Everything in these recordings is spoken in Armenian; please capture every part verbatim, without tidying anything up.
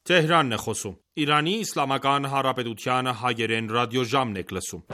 Թեհրանն է խոսում։ Իրանի Իսլամական Հանրապետության հայերեն ռադիոժամն եք լսում։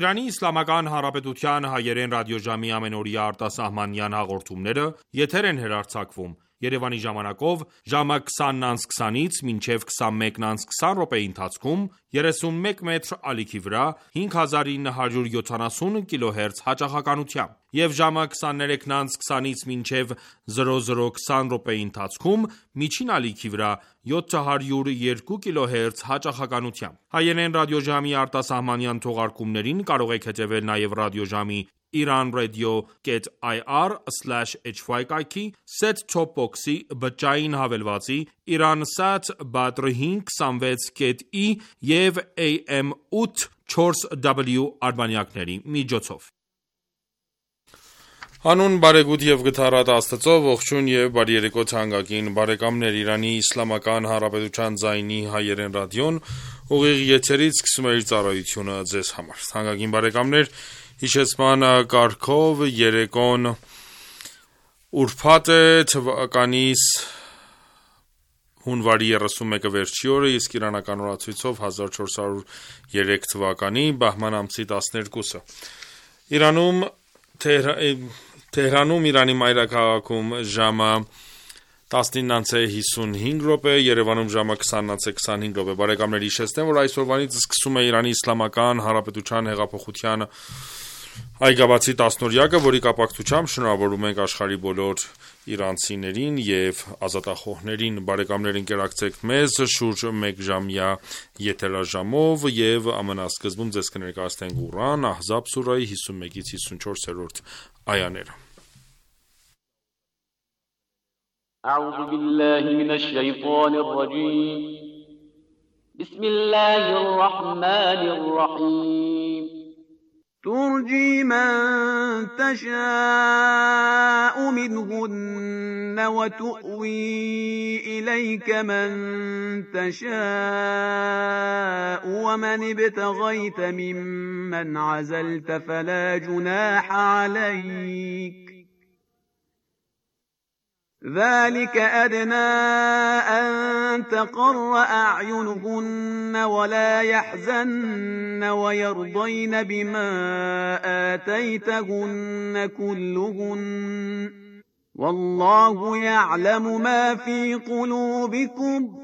Իրանի Իսլամական Հանրապետության հայերեն ռադիոժամի ամենօրյա արտասահմանյան հաղորդումները եթեր են հեռարձակվում Երևանի ժամանակով ժամը քսանն անց քսանից մինչև քսանմեկն անց քսան րոպեի ընթացքում երեսունմեկ մետր ալիքի վրա հինգ հազար ինը հարյուր յոթանասուն կիլոհերց հաճախականությամբ և ժամը քսաներեքն անց քսանից մինչև զրո զրո քսան րոպեի ընթացքում միջին ալիքի վրա յոթ հարյուր երկու կիլոհերց հաճախականությամբ։ Հայերեն ռադիոժամի արտասահմանյան թողարկումներին կարող եք հետևել նաև ռադիոժամի iranradio.ir slash hy կայքի, set-top box-ի, բջջային հավելվածի, Iransat Badr հինգ քսանվեց կետ ի և A M ութ չորս W արբանյակների միջոցով։ Հանուն բարեգութ և գթառատ Աստծո, ողջույն և բարի երեկո թանկագին բարեկամներ, Իրանի Իսլամական Հանրապետության ձայնի հայերեն ռադիոն ուղիղ եթերից սկսում է իր ծառայությունը ձեզ համար։ Թանկագին բարեկամներ, հիշեցման կարգով երեկոն ուրբաթ է, թվականիս հունվարի երեսունմեկը վերջի օրը, իսկ իրանական օրացույցով հազար չորս հարյուր երեք թվականի բահման ամսի տասներկուսը։ Իրանում Թեհրանում Իրանի մայրաքաղաքում ժամը տասնինն անց է հիսունհինգ րոպե, Երևանում ժամը քսանն անց է քսանհինգ րոպե։ Բարեկամներ, հիշեցնեմ, որ այսօրվանից սկսում է Իրանի Իսլամական Հանրապետության հեղափոխության այգաբացի տասնօրյակը, որի կապակցությամբ շնորհավորում ենք աշխարհի բոլոր իրանցիներին և ազատախոհներին։ Բարեկամներ, ընկերակցեք մեզ շուրջ մեկ ժամյա եթերաժամով և ամենասկզբում ձեզ կներկայացնենք Ղուրան, Ահզաբ սուրահի հիսունմեկից հիսունչորսերորդ այաները։ أعوذ بالله من الشيطان الرجيم بسم الله الرحمن الرحيم ترجي من تشاء منهن وتؤوي إليك من تشاء ومن ابتغيت ممن عزلت فلا جناح عليك ذلك أدنى أن تقر أعينهن ولا يحزن ويرضين بما آتيتهن كلهن والله يعلم ما في قلوبكم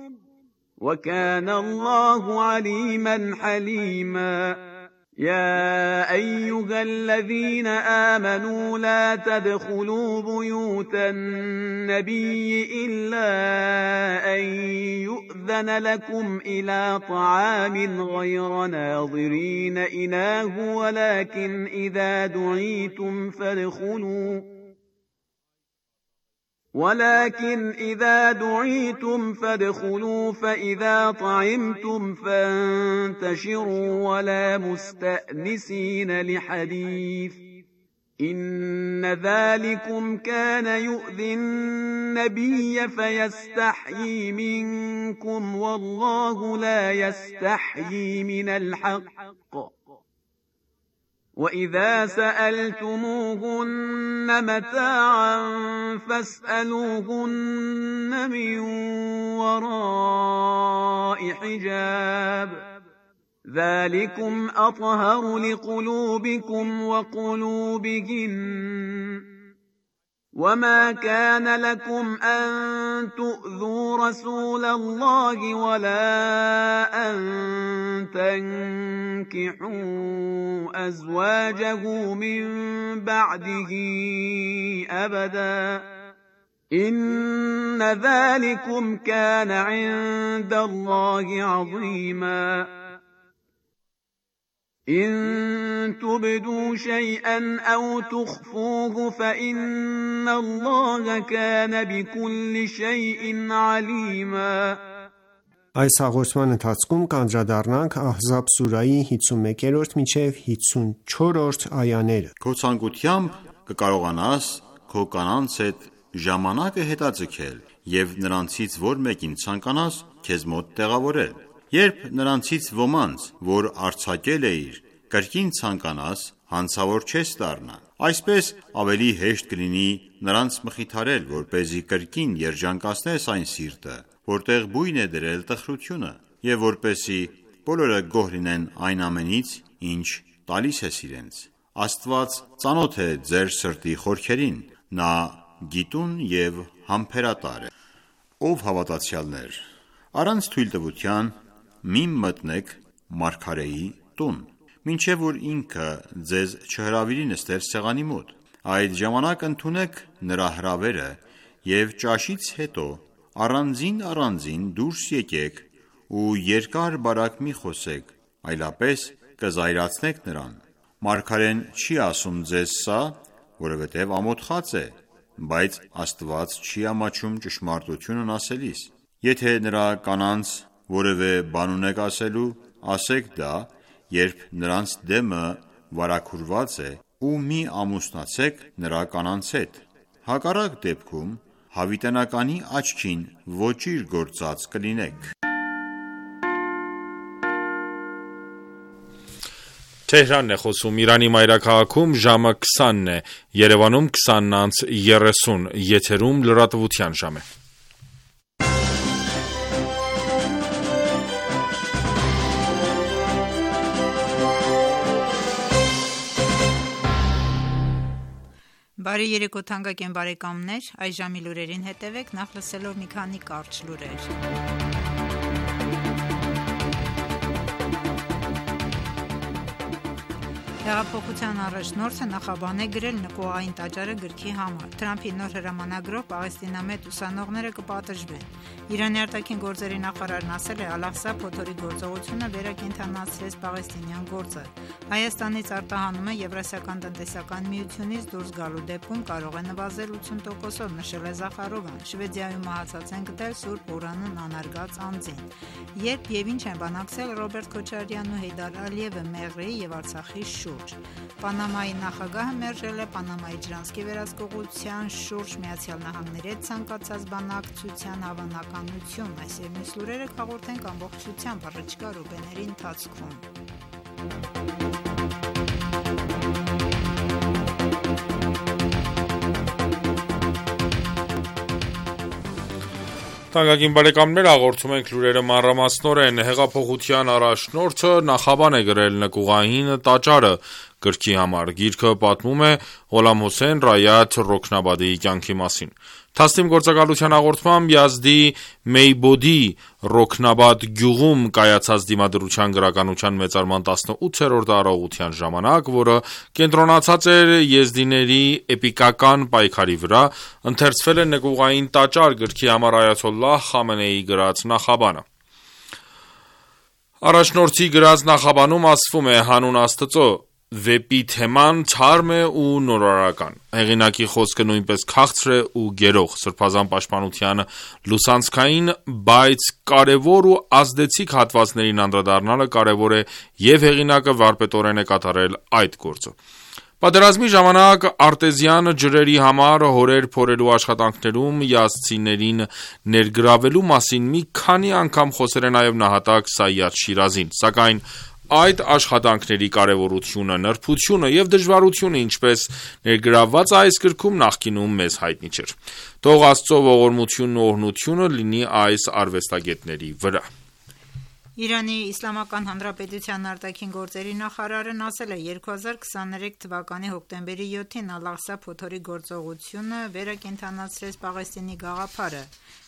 وكان الله عليما حليما يا أيها الذين آمنوا لا تدخلوا بيوت النبي إلا أن يؤذن لكم إلى طعام غير ناظرين إناه ولكن إذا دعيتم فادخلوا ولكن إذا دعيتم فادخلوا فإذا طعمتم فانتشروا ولا مستأنسين لحديث إن ذلكم كان يؤذي النبي فيستحيي منكم والله لا يستحيي من الحق وإذا سألتموهن متاعا فاسألوهن من وراء حجاب ذلكم أطهر لقلوبكم وقلوبهن وما كان لكم أن تؤذوا رسول الله ولا أن تنكحوا أزواجه من بعده أبدا إن ذلكم كان عند الله عظيما إن تبدوا شيئا أو تخفوه فإن الله كان بكل شيء عليما Այս հաղորդման ընթացքում կանդրադառնանք Ահզաբ սուրայի հինգսունմեկերորդ մինչև հինգսունչորսորդ այաները։ Քո ցանկությամբ կկարողանաս քո կանանց հետ ժամանակը հետաձգել և նրանցից որ մեկին ցանկանաս քեզ մոտ տեղավորել։ Երբ նրանցից ոմանց, որ արձակել էիր, կրկին ցանկանաս, հանցավոր չես դառնա։ Այսպես ավելի հեշտ կլինի նրանց մխիթարել, որպեսզի կրկին երջանկացնես այն սիրտը, որտեղ բույն է դրել տխրությունը, և որպեսզի բոլորը գոհ լինեն այն ամենից, ինչ տալիս ես իրենց։ Աստված ծանոթ է ձեր սրտի խորքերին, նա գիտուն և համբերատար է։ Ով հավատացյալներ, առանց թույլտվության մի մտնեք մարգարեի տուն, մինչև որ ինքը ձեզ չհրավիրի նստել սեղանի մոտ։ Այդ ժամանակ ընդունեք նրա հրավերը և ճաշից հետո առանձին առանձին դուրս եկեք ու երկար բարակ մի խոսեք, այլապես կզայրացնեք նրան։ Մարգարեն չի ասում ձեզ սա, որովհետև ամոթխած է, բայց Աստված չի ամաչում ճշմարտությունն ասելիս։ Եթե նրա կանանց որևէ բան ունեք ասելու, ասեք դա, երբ նրանց դեմը վարագուրված է, ու մի ամուսնացեք նրա կանանց հետ։ Հակառակ դեպքում հավիտենականի աչքին ոճիր գործած կլինեք։ Թեհրանն է խոսում Իրանի մայրաքաղաքում ժամը քսանն է, Երևանում քսանն անց երեսուն, եթերում լրատվության ժամ է։ Բարի երեկո թանկագին բարեկամներ, այս ժամի լուրերին հետևեք, նախ լսելով մի քանի կարճ լուրեր։ Հեղափոխության առաջնորդը նախաբան է գրել նկուղային տաճարը գրքի համար։ Թրամփի նոր հրամանագրով պաղեստինամետ ուսանողները կպատժվեն։ Իրանի արտաքին գործերի նախարարն ասել է Ալ-Աղսա փոթորի գործողությունը վերակենդանացրեց պաղեստինյան գործը։ Հայաստանից արտահանումը Եվրասիական տնտեսական միությունից դուրս գալու դեպքում կարող է նվազել ութսուն տոկոսով, նշել է Զախարովան։ Շվեդիայում մահացած են գտել Սուրբ Ուրանն անարգած անձին։ Երբ եւ ինչ են բանակցել Ռոբերտ Քոչարյանն ու Հեյդար Ալիևը Մեղրիի եւ Արցախի շուրջ։ Պանամայի նախագահը մերժել է Պանամայի ջրանցքի վերահսկողության շուրջ Միացյալ Նահանգների հետ ցանկացած բանակցության հավանականություն։ Այս եւ մյուս լուրերը հաղորդենք ամբողջությամբ առաջիկա րոպեների ընթացքում։ Թանկագին բարեկամներ, հաղորդում ենք լուրերը մանրամասնորեն։ Հեղափոխության առաջնորդը նախաբան է գրել նկուղային տաճարը գրքի համար։ Գիրքը պատմում է Ղոլամ Հոսեյն Ռայաթ Ռոքնաբադիի կյանքի մասին։ Թասնիմ գործակալության հաղորդմամբ Յազդի Մեյբոդի Ռոքնաբադ գյուղում կայացած դիմադրության գրականության մեծարման տասնութերորդ արարողության ժամանակ, որը կենտրոնացած էր եզդիների էպիկական պայքարի վրա, ընթերցվել է նկուղային տաճար գրքի համար Այաթոլլահ Խամենեիի գրած նախաբանը։ Առաջնորդի գրած նախաբանում ասվում է հանուն Աստծո, վեպի թեման թարմ է ու նորարարական։ Հեղինակի խոսքը նույնպես քաղցր է ու գերող, սրբազան պաշտպանության լուսանցքային, բայց կարևոր ու ազդեցիկ հատվածներին անդրադառնալը կարևոր է եւ հեղինակը վարպետորեն է կատարել այդ գործը։ Պատերազմի ժամանակ արտեզյան ջրերի համար հորեր փորելու աշխատանքներում յազդցիներին ներգրավելու մասին մի քանի անգամ խոսել է նաև նահատակ Սայադ Շիրազին, սակայն այդ աշխատանքների կարևորությունը, նրբությունը եւ դժվարությունը, ինչպես ներգրավված է այս գրքում, նախկինում մեզ հայտնի չէր։ Թող Աստծո ողորմությունն ու օրհնությունը լինի այս արվեստագետների վրա։ Իրանի Իսլամական Հանրապետության արտաքին գործերի նախարարն ասել է երկու հազար քսաներեք թվականի հոկտեմբերի յոթին Ալ-Աղսա փոթորի գործողությունը վերակենդանացրեց Պաղեստինի գաղափարը։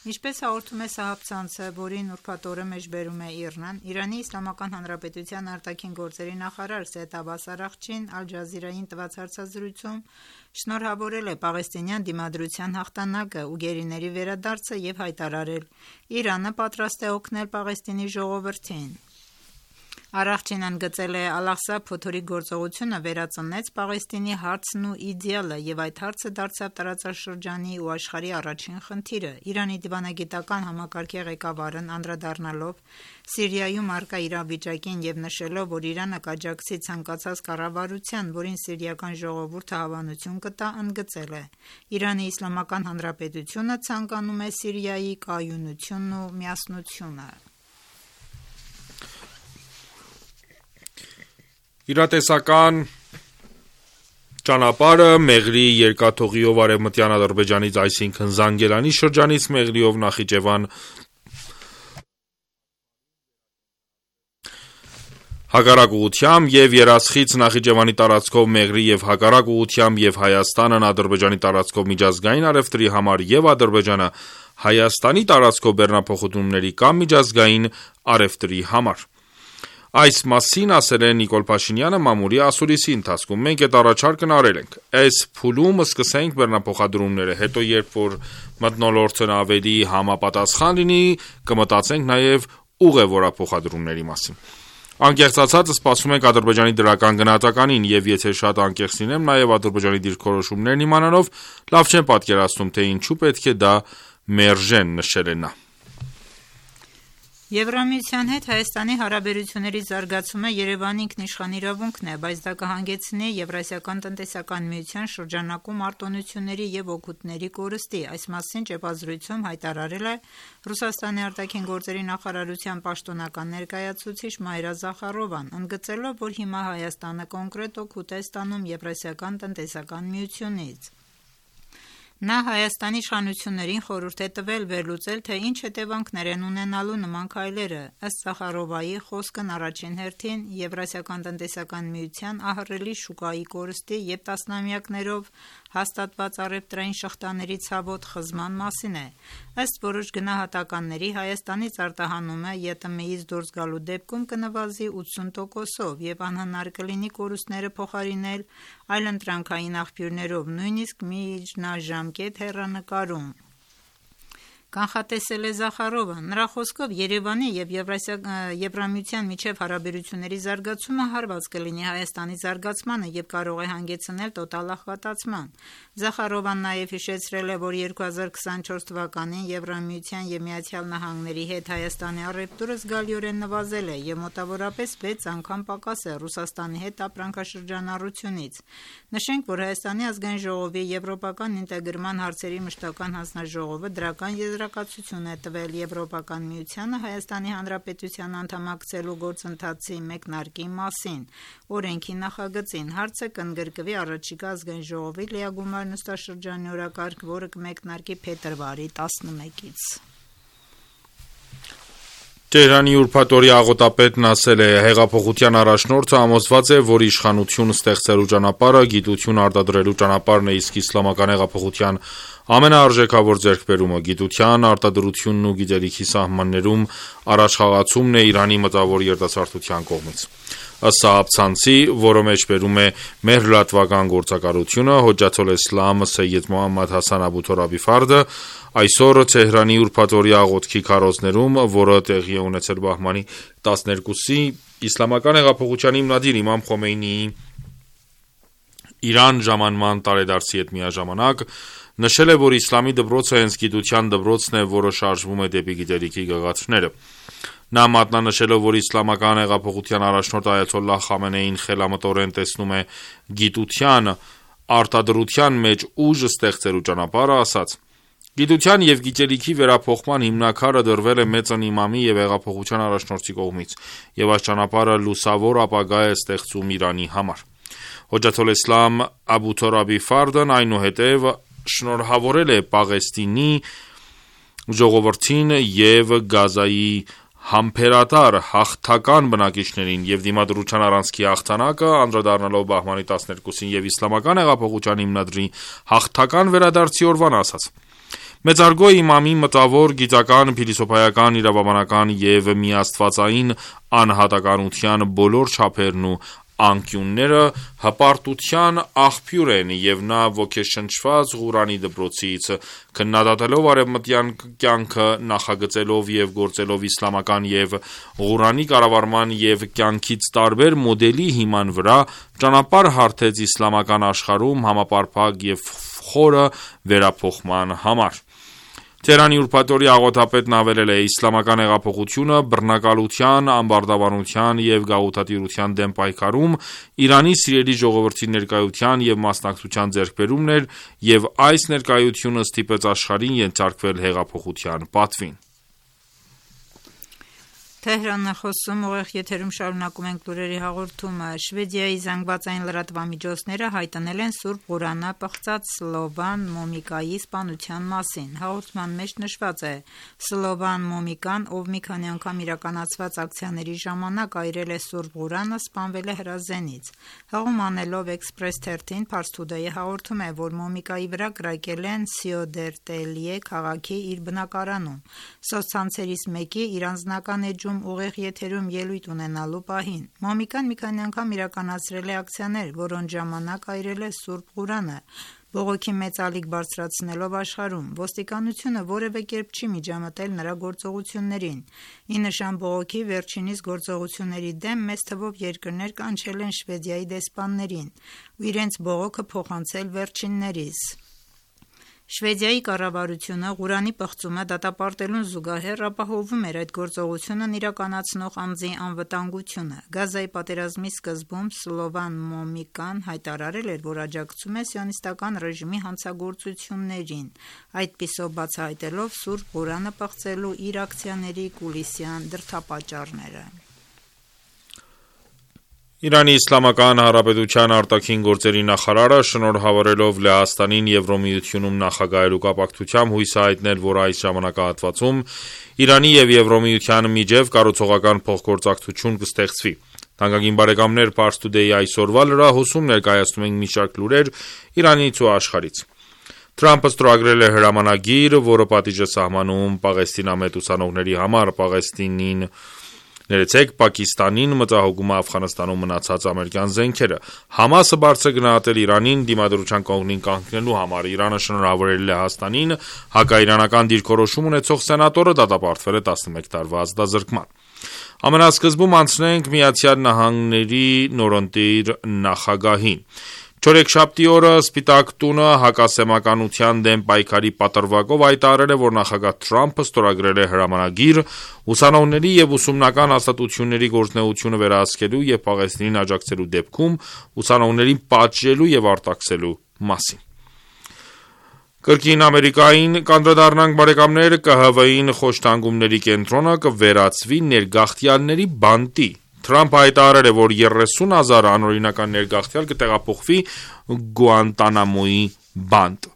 Ինչպես հաղորդում է Սահաբ-ցանցը, որին ուրբաթ օրը մեջբերում է ԻՌՆ-ն, Իրանի Իսլամական Հանրապետության արտաքին գործերի նախարար Սեյեդ Աբբաս Արաղչին Ալ Ջազիրային տված հարցազրույցում շնորհավորել է պաղեստինյան դիմադրության հաղթանակը ու գերիների վերադարձը և հայտարարել. «Իրանը պատրաստ է օգնել Պաղեստինի ժողովրդին»։ Արաղչին ընդգծել է Ալ-Աղսա փոթորի գործողությունը վերածնեց Պաղեստինի հարցն ու իդեալը և այդ հարցը դարձավ տարածաշրջանի ու աշխարհի առաջին խնդիրը։ Իրանի դիվանագիտական համակարգի ղեկավարն անդրադառնալով Սիրիայում առկա իրավիճակին և նշելով, որ Իրանը կաջակցի ցանկացած կառավարության, որին սիրիական ժողովուրդը հավանություն կտա, ընդգծել է. «Իրանի Իսլամական Հանրապետությունը ցանկանում է Սիրիայի կայունությունն ու միասնությունը»։ Իրատեսական ճանապարհը Մեղրի երկաթուղիով արևմտյան Ադրբեջանից, այսինքն Զանգելանի շրջանից Մեղրիով Նախիջևան հակառակ ուղղությամբ և Երասխից Նախիջևանի տարածքով Մեղրի և հակառակ ուղղությամբ և Հայաստանն Ադրբեջանի տարածքով միջազգային առևտրի համար և Ադրբեջանը Հայաստանի տարածքով բեռնափոխումների կամ միջազգային առևտրի համար։ Այս մասին ասել է Նիկոլ Փաշինյանը մամուլի ասուլիսի ընթացքում. «Մենք այդ առաջարկն արել ենք։ Այս փուլում սկսենք բեռնափոխադրումները, հետո երբ որ մթնոլորտն ավելի համապատասխան լինի, կմտածենք նաև ուղևորափոխադրումների մասին։ Անկեղծ ասած, սպասում ենք Ադրբեջանի դրական գնահատականին, և եթե շատ անկեղծ լինեմ, նաև Ադրբեջանի դիրքորոշումներն իմանալով, լավ չեմ պատկերացնում, թե ինչու պետք է դա մերժեն», նշել է նա։ Եվրամիության հետ Հայաստանի հարաբերությունների զարգացումը Երևանի ինքնիշխան իրավունքն է, բայց դա կհանգեցնի Եվրասիական տնտեսական միության շրջանակում արտոնությունների և օգուտների կորստի։ Այս մասին ճեպազրույցում հայտարարել է Ռուսաստանի արտաքին գործերի նախարարության պաշտոնական ներկայացուցիչ Մայրա Զախարովան, ընդգծելով, որ հիմա Հայաստանը կոնկրետ օգուտ է ստանում Եվրասիական տնտեսական միությունից։ Նա Հայաստանի իշխանություններին խորհուրդ է տվել վերլուծել, թե ինչ հետևանքներ են ունենալու նման քայլերը։ Ըստ Զախարովայի խոսքն առաջին հերթին Եվրասիական տնտեսական միության ահռելի շուկայի կորստի և տասնամյակներով հաստատված առևտրային շղթաների ցավոտ խզման մասին է։ Ըստ որոշ գնահատականների, Հայաստանից արտահանումը ԵՏՄ-ից դուրս գալու դեպքում կնվազի ութսուն տոկոսով և անհնար կլինի կորուստները փոխարինել այլընտրանքային աղբյուրներով, նույնիսկ միջնաժամկետ հեռանկարում, կանխատեսել է Զախարովը։ Նրա խոսքով Երևանի և Եվրամիության միջև հարաբերությունների զարգացումը հարված կլինի Հայաստանի զարգացմանը և կարող է հանգեցնել տոտալ աղքատացման։ Զախարովան նաև հիշեցրել է, որ երկու հազար քսանչորս թվականին Եվրամիության և Միացյալ Նահանգների հետ Հայաստանի առևտուրը զգալիորեն նվազել է և մոտավորապես վեց անգամ պակաս է Ռուսաստանի հետ ապրանքաշրջանառությունից։ Նշենք, որ Հայաստանի ազգային ժողովի եվրոպական ինտեգրման հարցերի մշտական հանձնաժողովը դրական եզրակացություն է տվել Եվրոպական միությանը Հայաստանի Հանրապետության անդամակցելու գործընթացի մեկնարկի մասին օրենքի նախագծին։ Հարցը կընդգրկվի առաջիկա ազգային ժողովի լիագումար նստաշրջանի օրակարգ, որը կմեկնարկի փետրվարի տասնմեկից։ Տեհրանի ուրբաթօրյա աղոթապետն ասել է. «Հեղափոխության առաջնորդը համոզված է, որ իշխանություն ստեղծելու ճանապարհը գիտություն արտադրելու ճանապարհն է, իսկ իսլամական հեղափոխության ամենաարժեքավոր ձեռքբերումը գիտության արտադրությունն ու գիտելիքի սահմաններում առաջխաղացումն է Իրանի մտավոր երիտասարդության կողմից»։ Ըստ Սահաբ-ցանցի, որը մեջբերում է մեր լրատվական գործակալությունը, Հոջաթոլ Էսլամ Սեյեդ Մոհամմադ Հասան Աբու Թորաբի Ֆարդը այսօր Թեհրանի ուրբաթօրյա աղոթքի քարոզներում, որը տեղի է ունեցել բահմանի տասներկուսի, Իսլամական հեղափոխության հիմնադիր Իմամ Խոմեյնիի Իրան ժամանման տարեդարձի հետ միաժամանակ նշել է, որ իսլամի դպրոցը հենց գիտության դպրոցն է, որը շարժվում է դեպի գիտելիքի գագաթները։ Նա մատնանշելով, որ իսլամական հեղափոխության առաջնորդ Այաթոլլահ Խամենեին խելամտորեն տեսնում է գիտության արտադրության մեջ ուժ ստեղծելու ճանապարհը, ասաց. «Գիտության և գիտելիքի վերափոխման հիմնաքարը դրվել է մեծն իմամի և հեղափոխության առաջնորդի կողմից, և այս ճանապարհը լուսավոր ապագա է ստեղծում Իրանի համար»։ Հոջաթոլ Էսլամ Աբու Թորաբի Ֆարդն այնուհետև շնորհավորել է Պաղեստինի ժողովրդին և Գազայի համբերատար հաղթական բնակիչներին եւ դիմադրության առանցքի հաղթանակը, անդրադառնալով բահմանի տասներկուսին եւ իսլամական հեղափոխության հիմնադրի հաղթական վերադարձի օրվան ասաց. Մեծարգո իմամի մտավոր, գիտական, փիլիսոփայական, իրավաբանական եւ միաստվածային անհատականության բոլոր չափերն ու անկյունները հպարտության աղբյուր են եւ նա ոգեշնչված Ղուրանի դպրոցից, քննադատելով արևմտյան կյանքը, նախագծելով եւ գործելով իսլամական եւ Ղուրանի կառավարման եւ կյանքից տարբեր մոդելի հիման վրա, ճանապարհ հարթեց իսլամական աշխարհում համապարփակ եւ խորը վերափոխման համար։ Թեհրանի ուրբաթօրի աղոթապետն ավելել է. իսլամական հեղափոխությունը բռնակալության, ամբարտավանության եւ գաղութատիրության դեմ պայքարում Իրանի սիրելի ժողովրդի ներկայության եւ մասնակցության ձեռքբերումն էր եւ այս ներկայությունը ստիպեց աշխարհին ենթարկվել հեղափոխության պատվին։ Թեհրանն է խոսում, ուղիղ եթերում շարունակում ենք լուրերի հաղորդումը։ Շվեդիայի զանգվածային լրատվամիջոցները հայտնել են Սուրբ Ղուրանը պղծած Սլովան Մոմիկայի սպանության մասին։ Հաղորդման մեջ նշված է. Սլովան Մոմիկան, ով մի քանի անգամ իրականացված ակցիաների ժամանակ այրել է Սուրբ Ղուրանը, սպանվել է հրազենից։ Հաղում անելով Express թերթին, Pars Today-ը հաղորդում է, որ Մոմիկայի վրա կրակել են Սիոդերտելիե քաղաքի իր բնակարանում։ Սոցցանցերից մեկի իր անձնական էջում ուղիղ եթերում ելույթ ունենալու պահին։ Մոմիկան մի քանի անգամ իրականացրել է ակցիաներ, որոնց ժամանակ այրել է Սուրբ Ղուրանը, բողոքի մեծ ալիք բարձրացնելով աշխարհում։ Ոստիկանությունը որևէ կերպ չի միջամտել նրա գործողություններին։ Ի նշան բողոքի վերջինիս գործողությունների դեմ մեծ թվով երկրներ կանչել են Շվեդիայի դեսպաններին ու իրենց բողոքը փոխանցել վերջիններից։ Շվեդիայի կառավարությունը Ղուրանի պղծումը դատապարտելուն զուգահեռ ապահովում էր այդ գործողությունն իրականացնող անձի անվտանգությունը։ Գազայի պատերազմի սկզբում Սլովան Մոմիկան հայտարարել էր, որ աջակցում է սիոնիստական ռեժիմի հանցագործություններին, այդպիսով բացահայտելով Սուրբ Ղուրանը պղծելու իր ակցիաների կուլիսյան դրդապատճառները։ Իրանի Իսլամական Հանրապետության արտաքին գործերի նախարարը շնորհավորելով Լեհաստանին Եվրոմիությունում նախագահելու կապակցությամբ հույս է հայտնել, որ այս ժամանակահատվածում Իրանի եւ Եվրոմիության միջև կառուցողական փոխգործակցություն կստեղծվի։ Թանկագին բարեկամներ, Pars Today-ի այսօրվա լրահոսում ներկայացնում ենք մի շարք լուրեր Իրանից ու աշխարհից։ Թրամփը ստորագրել է հրամանագիր, որը պատիժ է սահմանում պաղեստինամետ ուսանողների համար, Պաղեստինին Ներեցեք, Պակիստանին մտահոգում է Աֆղանստանում մնացած ամերիկյան զենքերը։ Համասը բարձր գնահատել Իրանին դիմադրության կողմին կանգնելու համար։ Իրանը շնորհավորել է Լեհաստանին հակաիրանական դիրքորոշում ունեցող սենատորը դատապարտվել է տասնմեկ տարվա ազատազրկման։ Ամենասկզբում անցնենք Միացյալ Նահանգների նորընտիր նախագահին։ Չորեքշաբթի օրը Սպիտակ տունը հակասեմականության դեմ պայքարի պատրվակով հայտարարել է, որ նախագահ Թրամփը ստորագրել է հրամանագիր ուսանողների եւ ուսումնական հաստատությունների գործունեությունը վերահսկելու եւ Պաղեստինին աջակցելու դեպքում ուսանողներին պատժելու եւ արտաքսելու մասին։ Կրկին Ամերիկային կանդրադառնանք բարեկամներ, Կ Հ V-ին խոշտանգումների կենտրոնը կվերածվի ներգաղթյալների բանտի։ Թրամփը հայտարարել է, որ երեսուն հազար անօրինական ներգաղթյալ կտեղափոխվի Գուանտանամոյի բանտ։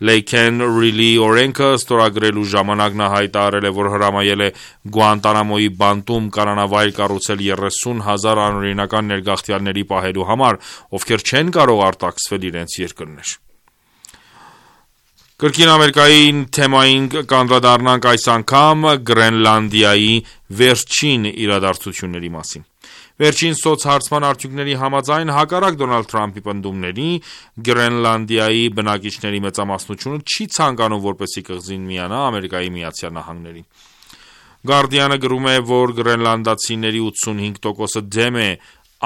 Lake Riley օրենքը ստորագրելու ժամանակ նա հայտարարել է, որ հրամայել է Գուանտանամոյի բանտում կառանավայր կառուցել երեսուն հազար անօրինական ներգաղթյալների պահելու համար, ովքեր չեն կարող արտաքսվել իրենց երկրներ։ Կրկին Ամերիկայի թեմային կանդրադառնանք այս անգամ Գրենլանդիայի վերջին իրադարձությունների մասին։ Վերջին սոցհարցման արդյունքների համաձայն հակառակ Դոնալդ Թրամփի պնդումների Գրենլանդիայի բնակիչների մեծամասնությունը չի ցանկանում, որպեսզի կղզին միանա Ամերիկայի Միացյալ Նահանգներին։ Guardian-ը գրում է, որ գրենլանդացիների ութսունհինգ տոկոսը դեմ է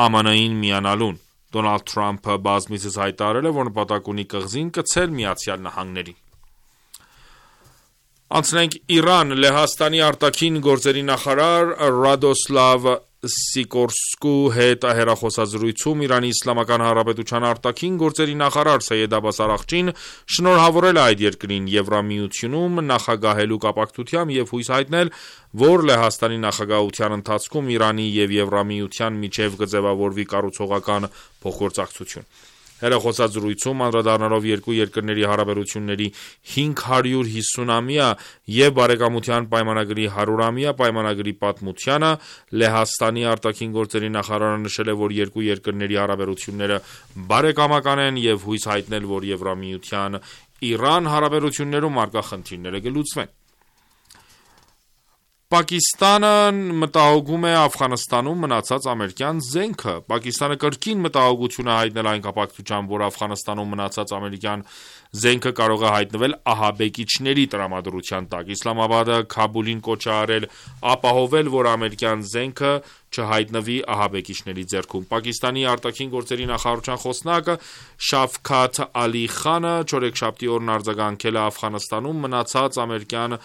Ամն Ի-ին միանալուն։ Դոնալդ Թրամփը բազմիցս հայտարարել է, որ նպատակ ունի կղզին կցել Միացյալ Նահանգներին։ Անցնենք Իրան, Լեհաստանի արտաքին գործերի նախարար Ռադոսլավ Սիկորսկու հետ հեռախոսազրույցում Իրանի Իսլամական Հանրապետության արտաքին գործերի նախարար Սեյեդ Աբբաս Արաղչին շնորհավորել է այդ երկրին Եվրամիությունում նախագահելու կապակցությամբ եւ հույս հայտնել, որ Լեհաստանի նախագահության ընթացքում Իրանի եւ Եվրամիության միջև կձևավորվի կառուցողական փոխգործակցություն։ Հեռախոսազրույցում անդրադառնալով երկու երկրների հարաբերությունների հինգ հարյուր հիսուն-ամյա և բարեկամության պայմանագրի հարյուր-ամյա պայմանագրի պատմությանը, Լեհաստանի արտաքին գործերի նախարարը նշել է, որ երկու երկրների հարաբերությունները բարեկամական են և հույս հայտնել, որ Եվրամիության-Իրան հարաբերություններում առկա խնդիրները կլուծվեն։ Պակիստանը մտահոգում է Աֆղանստանում մնացած ամերիկյան զենքը։ Պակիստանը կրկին մտահոգություն է հայտնել այն կապակցությամբ, որ Աֆղանստանում մնացած ամերիկյան զենքը կարող է հայտնվել ահաբեկիչների տրամադրության տակ։ Իսլամաբադը Քաբուլին կոչ է արել ապահովել, որ ամերիկյան զենքը չհայտնվի ահաբեկիչների ձեռքում։ Պակիստանի արտաքին գործերի նախարարության խոսնակ Շաֆքաթ Ալի Խանը չորեքշաբթի օրն արձագանքել է Աֆղանստանում մնացած ամերիկյան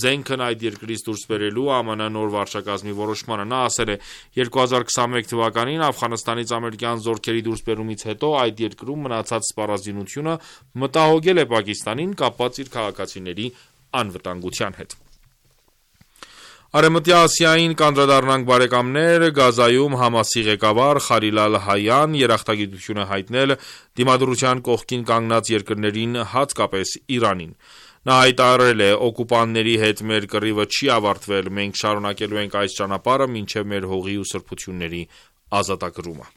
զենքն այդ երկրից դուրս բերելու ԱՄՆ նոր վարչակազմի որոշմանը։ Նա ասել է. երկու հազար քսանմեկ թվականին Աֆղանստանից ամերիկյան զորքերի դուրսբերումից հետո այդ երկրում մնացած սպառազինությունը մտահոգել է Պակիստանին կապված իր քաղաքացիների անվտանգության հետ։ Արևմտյան Ասիային կանդրադառնանք բարեկամներ, Գազայում Համասի ղեկավար Խալիլ Ալ-Հայան երախտագիտություն է հայտնել դիմադրության կողքին կանգնած երկրներին, հատկապես Իրանին։ Նա հայտարարել է. «Օկուպանտների հետ մեր կռիվը չի ավարտվել, մենք շարունակելու ենք այս ճանապարհը մինչև մեր հողի ու սրբությունների ազատագրումը»։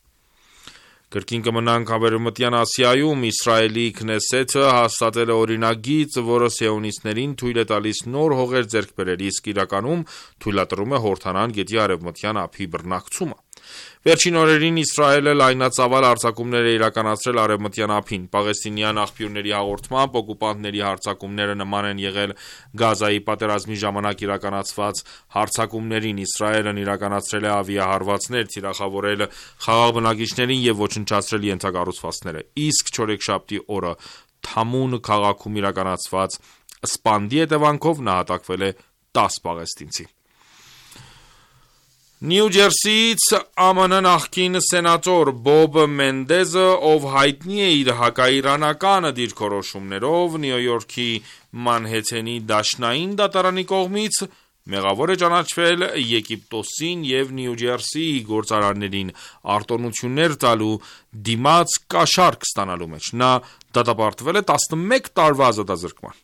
Կրկին կմնանք Արևմտյան Ասիայում։ Իսրայելի Քնեսեթը հաստատել է օրինագիծ, որը սիոնիստներին թույլ է տալիս նոր հողեր ձեռք բերել, իսկ իրականում թույլատրում է Հորդանան գետի արևմտյան ափի բռնակցումը։ Վերջին օրերին Իսրայելը լայնածավալ հարձակումներ է իրականացրել արևմտյան ափին։ Պաղեստինյան աղբյուրների հաղորդմամբ, օկուպանտների հարձակումները նման են եղել Գազայի պատերազմի ժամանակ իրականացված հարձակումներին։ Իսրայելն իրականացրել է ավիահարվածներ, թիրախավորել խաղաղ բնակիչներին և ոչնչացրել ենթակառուցվածքները։ Իսկ չորեքշաբթի օրը Թամուն քաղաքում իրականացված սպանդի հետևանքով նահատակվել է տաս պաղեստինցի։ Նյու Ջերսիից ԱՄՆ նախկին սենատոր Բոբ Մենդեզը, ով հայտնի է իր հակաիրանական դիրքորոշումներով, Նյու Յորքի Մանհեթենի դաշնային դատարանի կողմից մեղավոր է ճանաչվել Եգիպտոսին և Նյու Ջերսիի գործարաններին արտոնություններ տալու դիմաց կաշառք ստանալու մեջ։ Նա դատապարտվել է տասնմեկ տարվա ազատազրկման։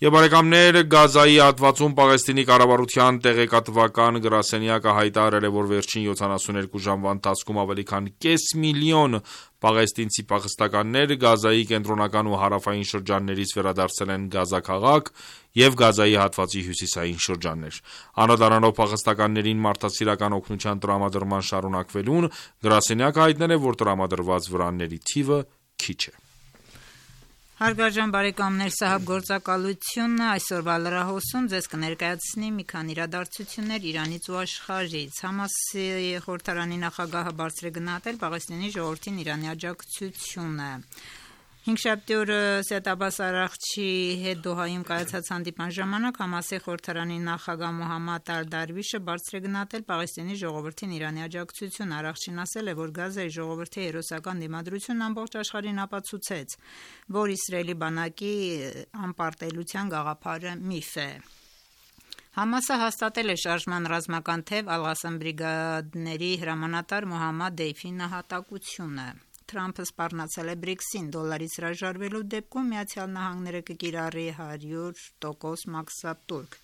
Եվ բարեկամներ, Գազայի հատվածում Պաղեստինի կառավարության տեղեկատվական գրասենյակը հայտարարել է, որ վերջին յոթանասունյոթ ժամվա ընթացքում ավելի քան կես միլիոն պաղեստինցի փախստականներ Գազայի կենտրոնական ու հարավային շրջաններից վերադարձել են Գազա քաղաք և Գազայի հատվածի հյուսիսային շրջաններ։ Անդրադառնալով փախստականներին մարդասիրական օգնության տրամադրման շարունակվելուն, գրասենյակը հայտնել է, որ տրամադրված վրանների թիվը քիչ է։ Հարգարժան բարեկամներ, Սահաբ գործակալությունը այսօրվա լրահոսում ձեզ կներկայացնի մի քանի իրադարձություններ Իրանից ու աշխարհից։ Համասի խորհրդարանի նախագահը բարձր է գնահատել Պաղեստինի ժողովրդին Իրանի աջակցությունը։ Հինգշաբթի օրը Սեյեդ Աբբաս Արաղչի հետ Դոհայում կայացած հանդիպման ժամանակ Համասի խորհրդարանի նախագահ Մոհամմադ Ալ-Դարվիշը բարձր է գնահատել Պաղեստինի ժողովրդին Իրանի աջակցությունը։ Արաղչին ասել է, որ Գազայի ժողովրդի հերոսական դիմադրությունն ամբողջ աշխարհին ապացուցեց, որ Իսրայելի բանակի անպարտելիության գաղափարը միֆ է։ Համասը հաստատել է շարժման ռազմական թեւ Ալ-Ղասամ բրիգադների հրամանատար Մոհամմադ Դեյֆի նահատակությունը։ Թրամփը սպառնացել է բրիքսին, դոլարից հրաժարվելու դեպքում Միացյալ Նահանգները կկիրառի հարյուր տոկոս մաքսատուրք։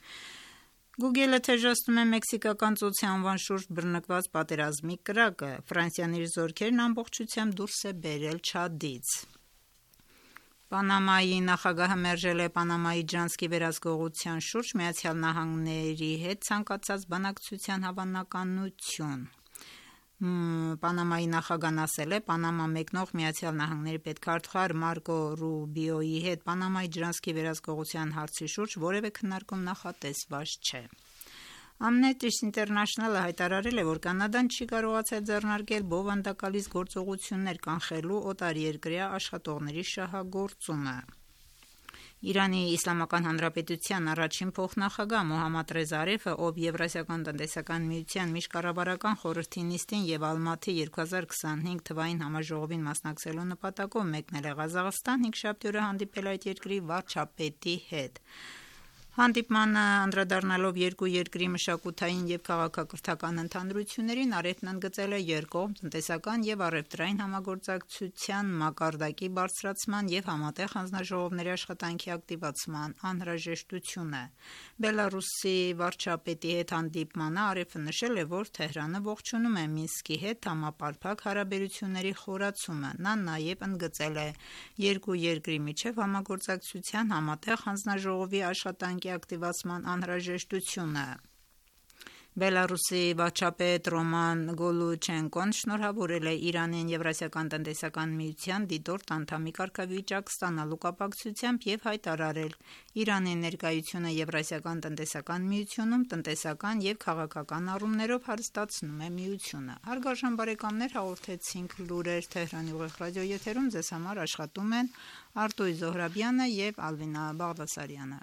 Google-ը թեժացնում է մեքսիկական ծոցի անվան շուրջ բռնկված պատերազմի կրակը։ Ֆրանսիան իր զորքերն ամբողջությամբ դուրս է բերել Չադից։ Պանամայի նախագահը մերժել է Պանամայի ջանսկի վերահսկողության շուրջ Միացյալ Նահանգների հետ ցանկացած բանակցության հավանականություն։ Պանամայի նախագահն ասել է, Պանամա մեկնող Միացյալ Նահանգների պետքարտուղար Մարկո Ռուբիոյի հետ Պանամայի ջրանցքի վերահսկողության հարցի շուրջ որևէ քննարկում նախատեսված չէ։ Amnesty International-ը հայտարարել է, որ Կանադան չի կարողացել ձեռնարկել բովանդակալից գործողություններ կանխելու օտարերկրյա աշխատողների շահագործումը։ Իրանի Իսլամական Հանրապետության առաջին փոխնախագահ Մոհամմադ Ռեզա Արեֆը, ով Եվրասիական տնտեսական միության միջկառավարական խորհրդի նիստին և Ալմաթի երկու հազար քսանհինգ թվային համաժողովին մասնակցելու նպատակով մեկնել է Ղազախստան, հինգշաբթի օրը հանդիպել այդ երկրի վարչապետի հետ։ Հանդիպմանը անդրադառնալով երկու երկրի մշակութային եւ քաղաքակրթական ընդհանրություններին, Արեֆն ընդգծել է երկկողմ տնտեսական եւ առևտրային համագործակցության մակարդակի բարձրացման եւ համատեղ հանձնաժողովների աշխատանքի ակտիվացման անհրաժեշտությունը։ Բելարուսի վարչապետի հետ հանդիպմանը Արեֆը նշել է, որ Թեհրանը ողջունում է Մինսկի հետ համապարփակ հարաբերությունների խորացումը։ Նա նաեւ ընդգծել է երկու երկրի միջև համագործակցության համատեղ հանձնաժողովի աշխատանքի ակտիվացման անհրաժեշտությունը։ Բելարուսի վարչապետ Ռոման Գոլուչենկոն շնորհավորել է Իրանին Եվրասիական տնտեսական միության դիտորդ անդամի կարգավիճակ ստանալու կապակցությամբ եւ հայտարարել Իրանի ներկայությունը Եվրասիական տնտեսական միությունում տնտեսական եւ քաղաքական առումներով հարստացնում է միությունը։ Հարգարժան բարեկամներ, հաղորդեցինք լուրեր Թեհրանի ուղիղ ռադիոեթերում, ձեզ համար աշխատում են Արտույ Զոհրաբյանը եւ Ալվինա Բաղդասարյանը։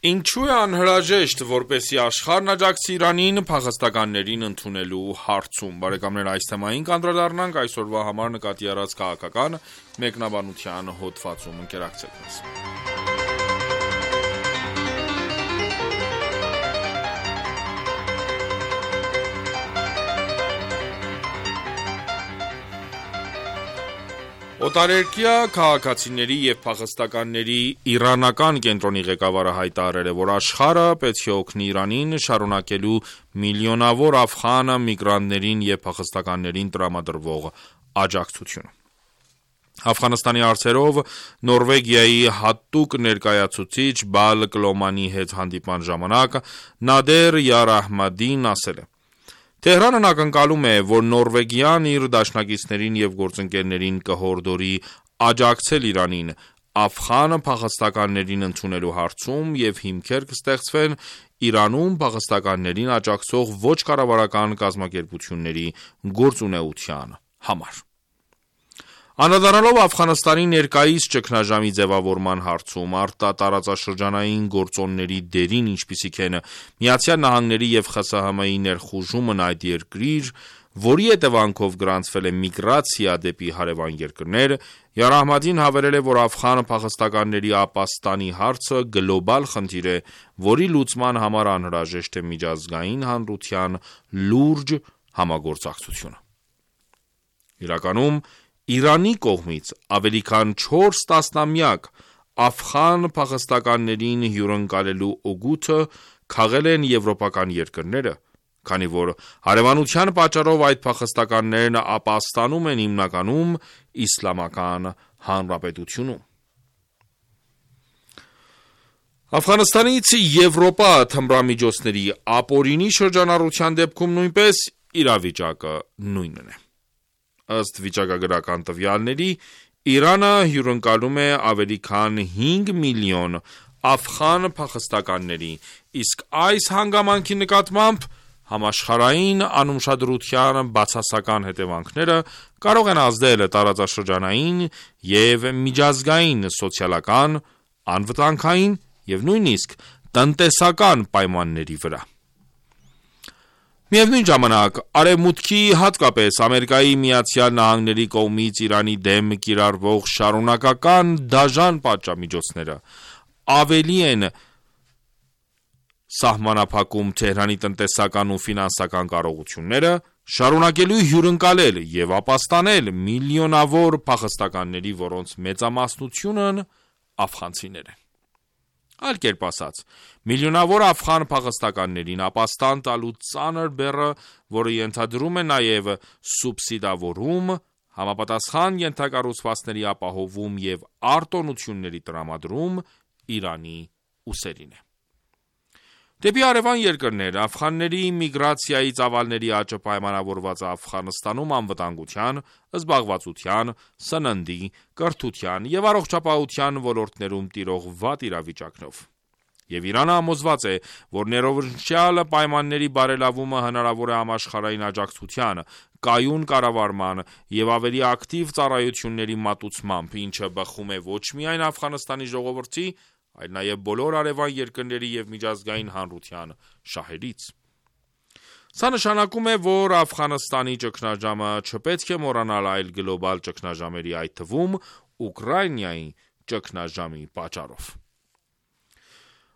Ինչու է անհրաժեշտ, որպեսզի աշխարհն աջակցի Իրանին փախստականներին ընդունելու հարցում։ Բարեկամներ, այս թեմային կանդրադառնանք այսօրվա համար նկատի առած քաղաքական մեկնաբանության հոդվածում։ Ընկերակցեք մեզ։ Օտարերկրյա քաղաքացիների եւ փախստականների իրանական կենտրոնի ղեկավարը հայտարարել է, որ աշխարհը պետք է օգնի Իրանին շարունակելու միլիոնավոր աֆղան միգրանտներին եւ փախստականներին տրամադրվող աջակցությունը։ Աֆղանստանի հարցերով Նորվեգիայի հատուկ ներկայացուցիչ Բալ Կլոմանի հետ հանդիպման ժամանակ Նադեր Յարահմադին ասել է. Թեհրանն ակնկալում է, որ Նորվեգիան իր դաշնակիցներին եւ գործընկերներին կհորդորի աջակցել Իրանին աֆղան փախստականներին ընդունելու հարցում եւ հիմքեր կստեղծվեն Իրանում փախստականներին աջակցող ոչ կառավարական կազմակերպությունների գործունեության համար։ Անդրադառնալով Աֆղանստանի ներկայիս ճգնաժամի ձևավորման հարցում արտատարածաշրջանային գործոնների դերին, ինչպիսիք են Միացյալ Նահանգների եւ ԽՍՀՄ-ի ներխուժումն այդ երկրի, որի հետևանքով գրանցվել է միգրացիա դեպի հարևան երկրներ, Յարահմադին հավելել է, որ աֆղան փախստականների ապաստանի հարցը գլոբալ խնդիր է, որի լուծման համար անհրաժեշտ է միջազգային հանրության լուրջ համագործակցությունը։ Իրականում Իրանի կողմից ավելի քան չորս տասնամյակ աֆղան փախստականներին հյուրընկալելու օգուտը քաղել են եվրոպական երկրները, քանի որ հարևանության պատճառով այդ փախստականներն ապաստանում են հիմնականում իսլամական հանրապետությունում։ Աֆղանստանից Եվրոպա թմրամիջոցների ապօրինի շրջանառության դեպքում նույնպես իրավիճակը նույնն է։ Ըստ վիճակագրական տվյալների, Իրանը հյուրընկալում է ավելի քան հինգ միլիոն աֆղան փախստականների, իսկ այս հանգամանքի նկատմամբ համաշխարհային անուշադրության բացասական հետևանքները կարող են ազդել տարածաշրջանային եւ միջազգային սոցիալական, անվտանգային եւ նույնիսկ տնտեսական պայմանների վրա։ Միևնույն ժամանակ, Արևմուտքի, հատկապես Ամերիկայի Միացյալ Նահանգների կողմից Իրանի դեմ կիրառվող շարունակական դաժան պատժամիջոցները ավելի են սահմանափակում Թեհրանի տնտեսական ու ֆինանսական կարողությունները, շարունակելու հյուրընկալել եւ ապաստանել միլիոնավոր փախստականների, որոնց մեծամասնությունն աֆղանցիներ են։ Այլ կերպ ասած, միլիոնավոր աֆղան փախստականներին ապաստան տալու ծանր բեռը, որը ենթադրում է նաև սուբսիդավորում, համապատասխան ենթակառուցվածքների ապահովում եւ արտոնությունների տրամադրում Իրանի ուսերին է։ Դեպի հարևան երկրներ աֆղանների միգրացիայի ծավալների աճը պայմանավորված է Աֆղանստանում անվտանգության, զբաղվածության, սննդի, կրթության եւ առողջապահության ոլորտներում տիրող վատ իրավիճակով։ Եվ Իրանը համոզված է, որ ներողնշյալ պայմանների բարելավումը հնարավոր է համաշխարհային աջակցության, կայուն կառավարման եւ ավելի ակտիվ ծառայությունների մատուցմամբ, ինչը բխում է ոչ միայն Աֆղանստանի ժողովրդի, այլ նաև բոլոր արևան երկրների եւ միջազգային հանրության շահերից։ Սա նշանակում է, որ Աֆղանստանի ճգնաժամը չպետք է մոռանալ այլ գլոբալ ճգնաժամերի, այդ թվում Ուկրաինայի ճգնաժամի պատճառով։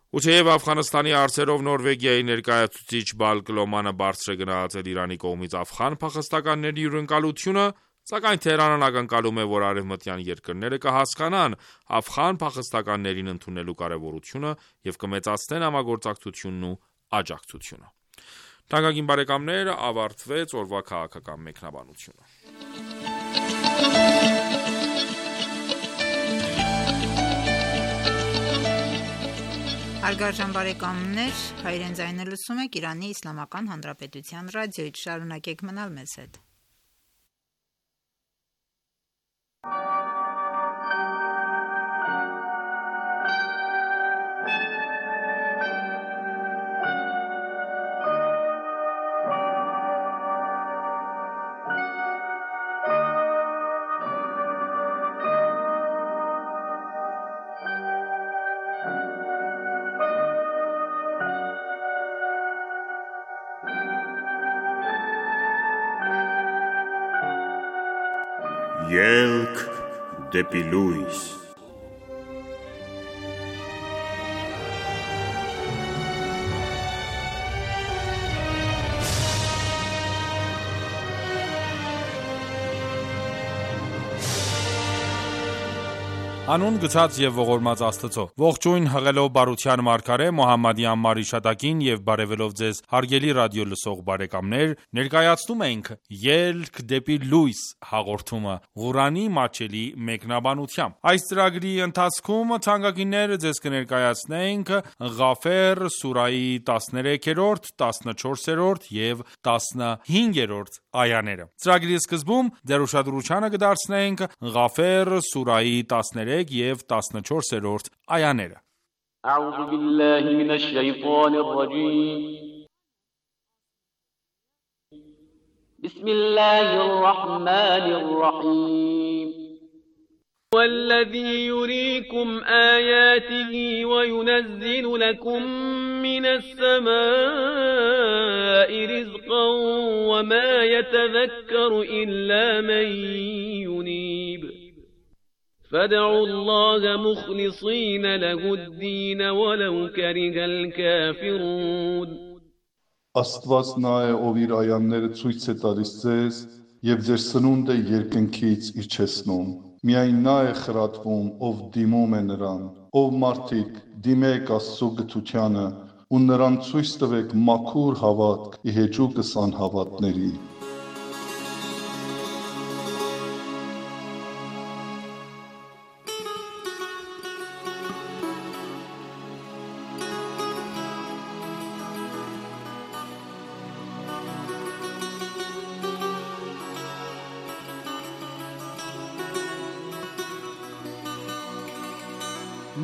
Ու թեև Աֆղանստանի հարցերով Նորվեգիայի ներկայացուցիչ Բալկ Լոմանը բարձր է գնահատել Իրանի կողմից աֆղան փախստականների հյուրընկալությունը, սակայն Թեհրանն ակնկալում է, որ արևմտյան երկրները կհասկանան աֆղան փախստականներին ընդունելու կարևորությունը և կմեծացնեն համագործակցությունն ու աջակցությունը։ Թանկագին բարեկամներ, ավարտվեց օրվա քաղաքական մեկնաբանությունը։ Հարգարժան բարեկամներ, հայրեն ձայնը լսում եք Իրանի Իսլամական Հանրապետության ռադիոյից, շարունակեք մնալ մեզ հետ։ Ելք դեպի լույս։ Անուն գցած եւ ողորմած Աստծո։ Ողջույն հղելով բարության մարգարե Մոհամմադի անմար իշատակին եւ բարեւելով ձեզ հարգելի ռադիո լսող բարեկամներ, ներկայացնում ենք Ելք դեպի լույս հաղորդումը Ղուրանի մատչելի մեկնաբանությամբ։ Այս ծրագրի ընթացքում թանկագիններ ձեզ կներկայացնենք Ղաֆեր սուրայի տասներեքերորդ, տասնչորսերորդ եւ տասնհինգերորդ այաները։ Ծրագրի սկզբում ձեր ուշադրությանը կդարձնենք Ղաֆեր սուրայի տասներեք եւ տասնչորսերորդ այաները։ أعوذ بالله من الشيطان الرجيم بسم الله الرحمن الرحيم والذي يريكم آياته وينزل لكم من السماء رزقا وما يتذكر إلا من ينيب فادعوا الله مخلصين له الدين ولو كره الكافرون Աստված նա է, ով իր այանները ցույց է տալիս ձեզ եւ ձեր սնունդը երկնքից իջեցնում։ Միայն նա է խրատվում, ով դիմում է նրան, ով մարդիկ դիմեք Աստծո գթությանը ու նրան ցույց տվեք մաքուր հավատք ի հեճուկս անհավատների։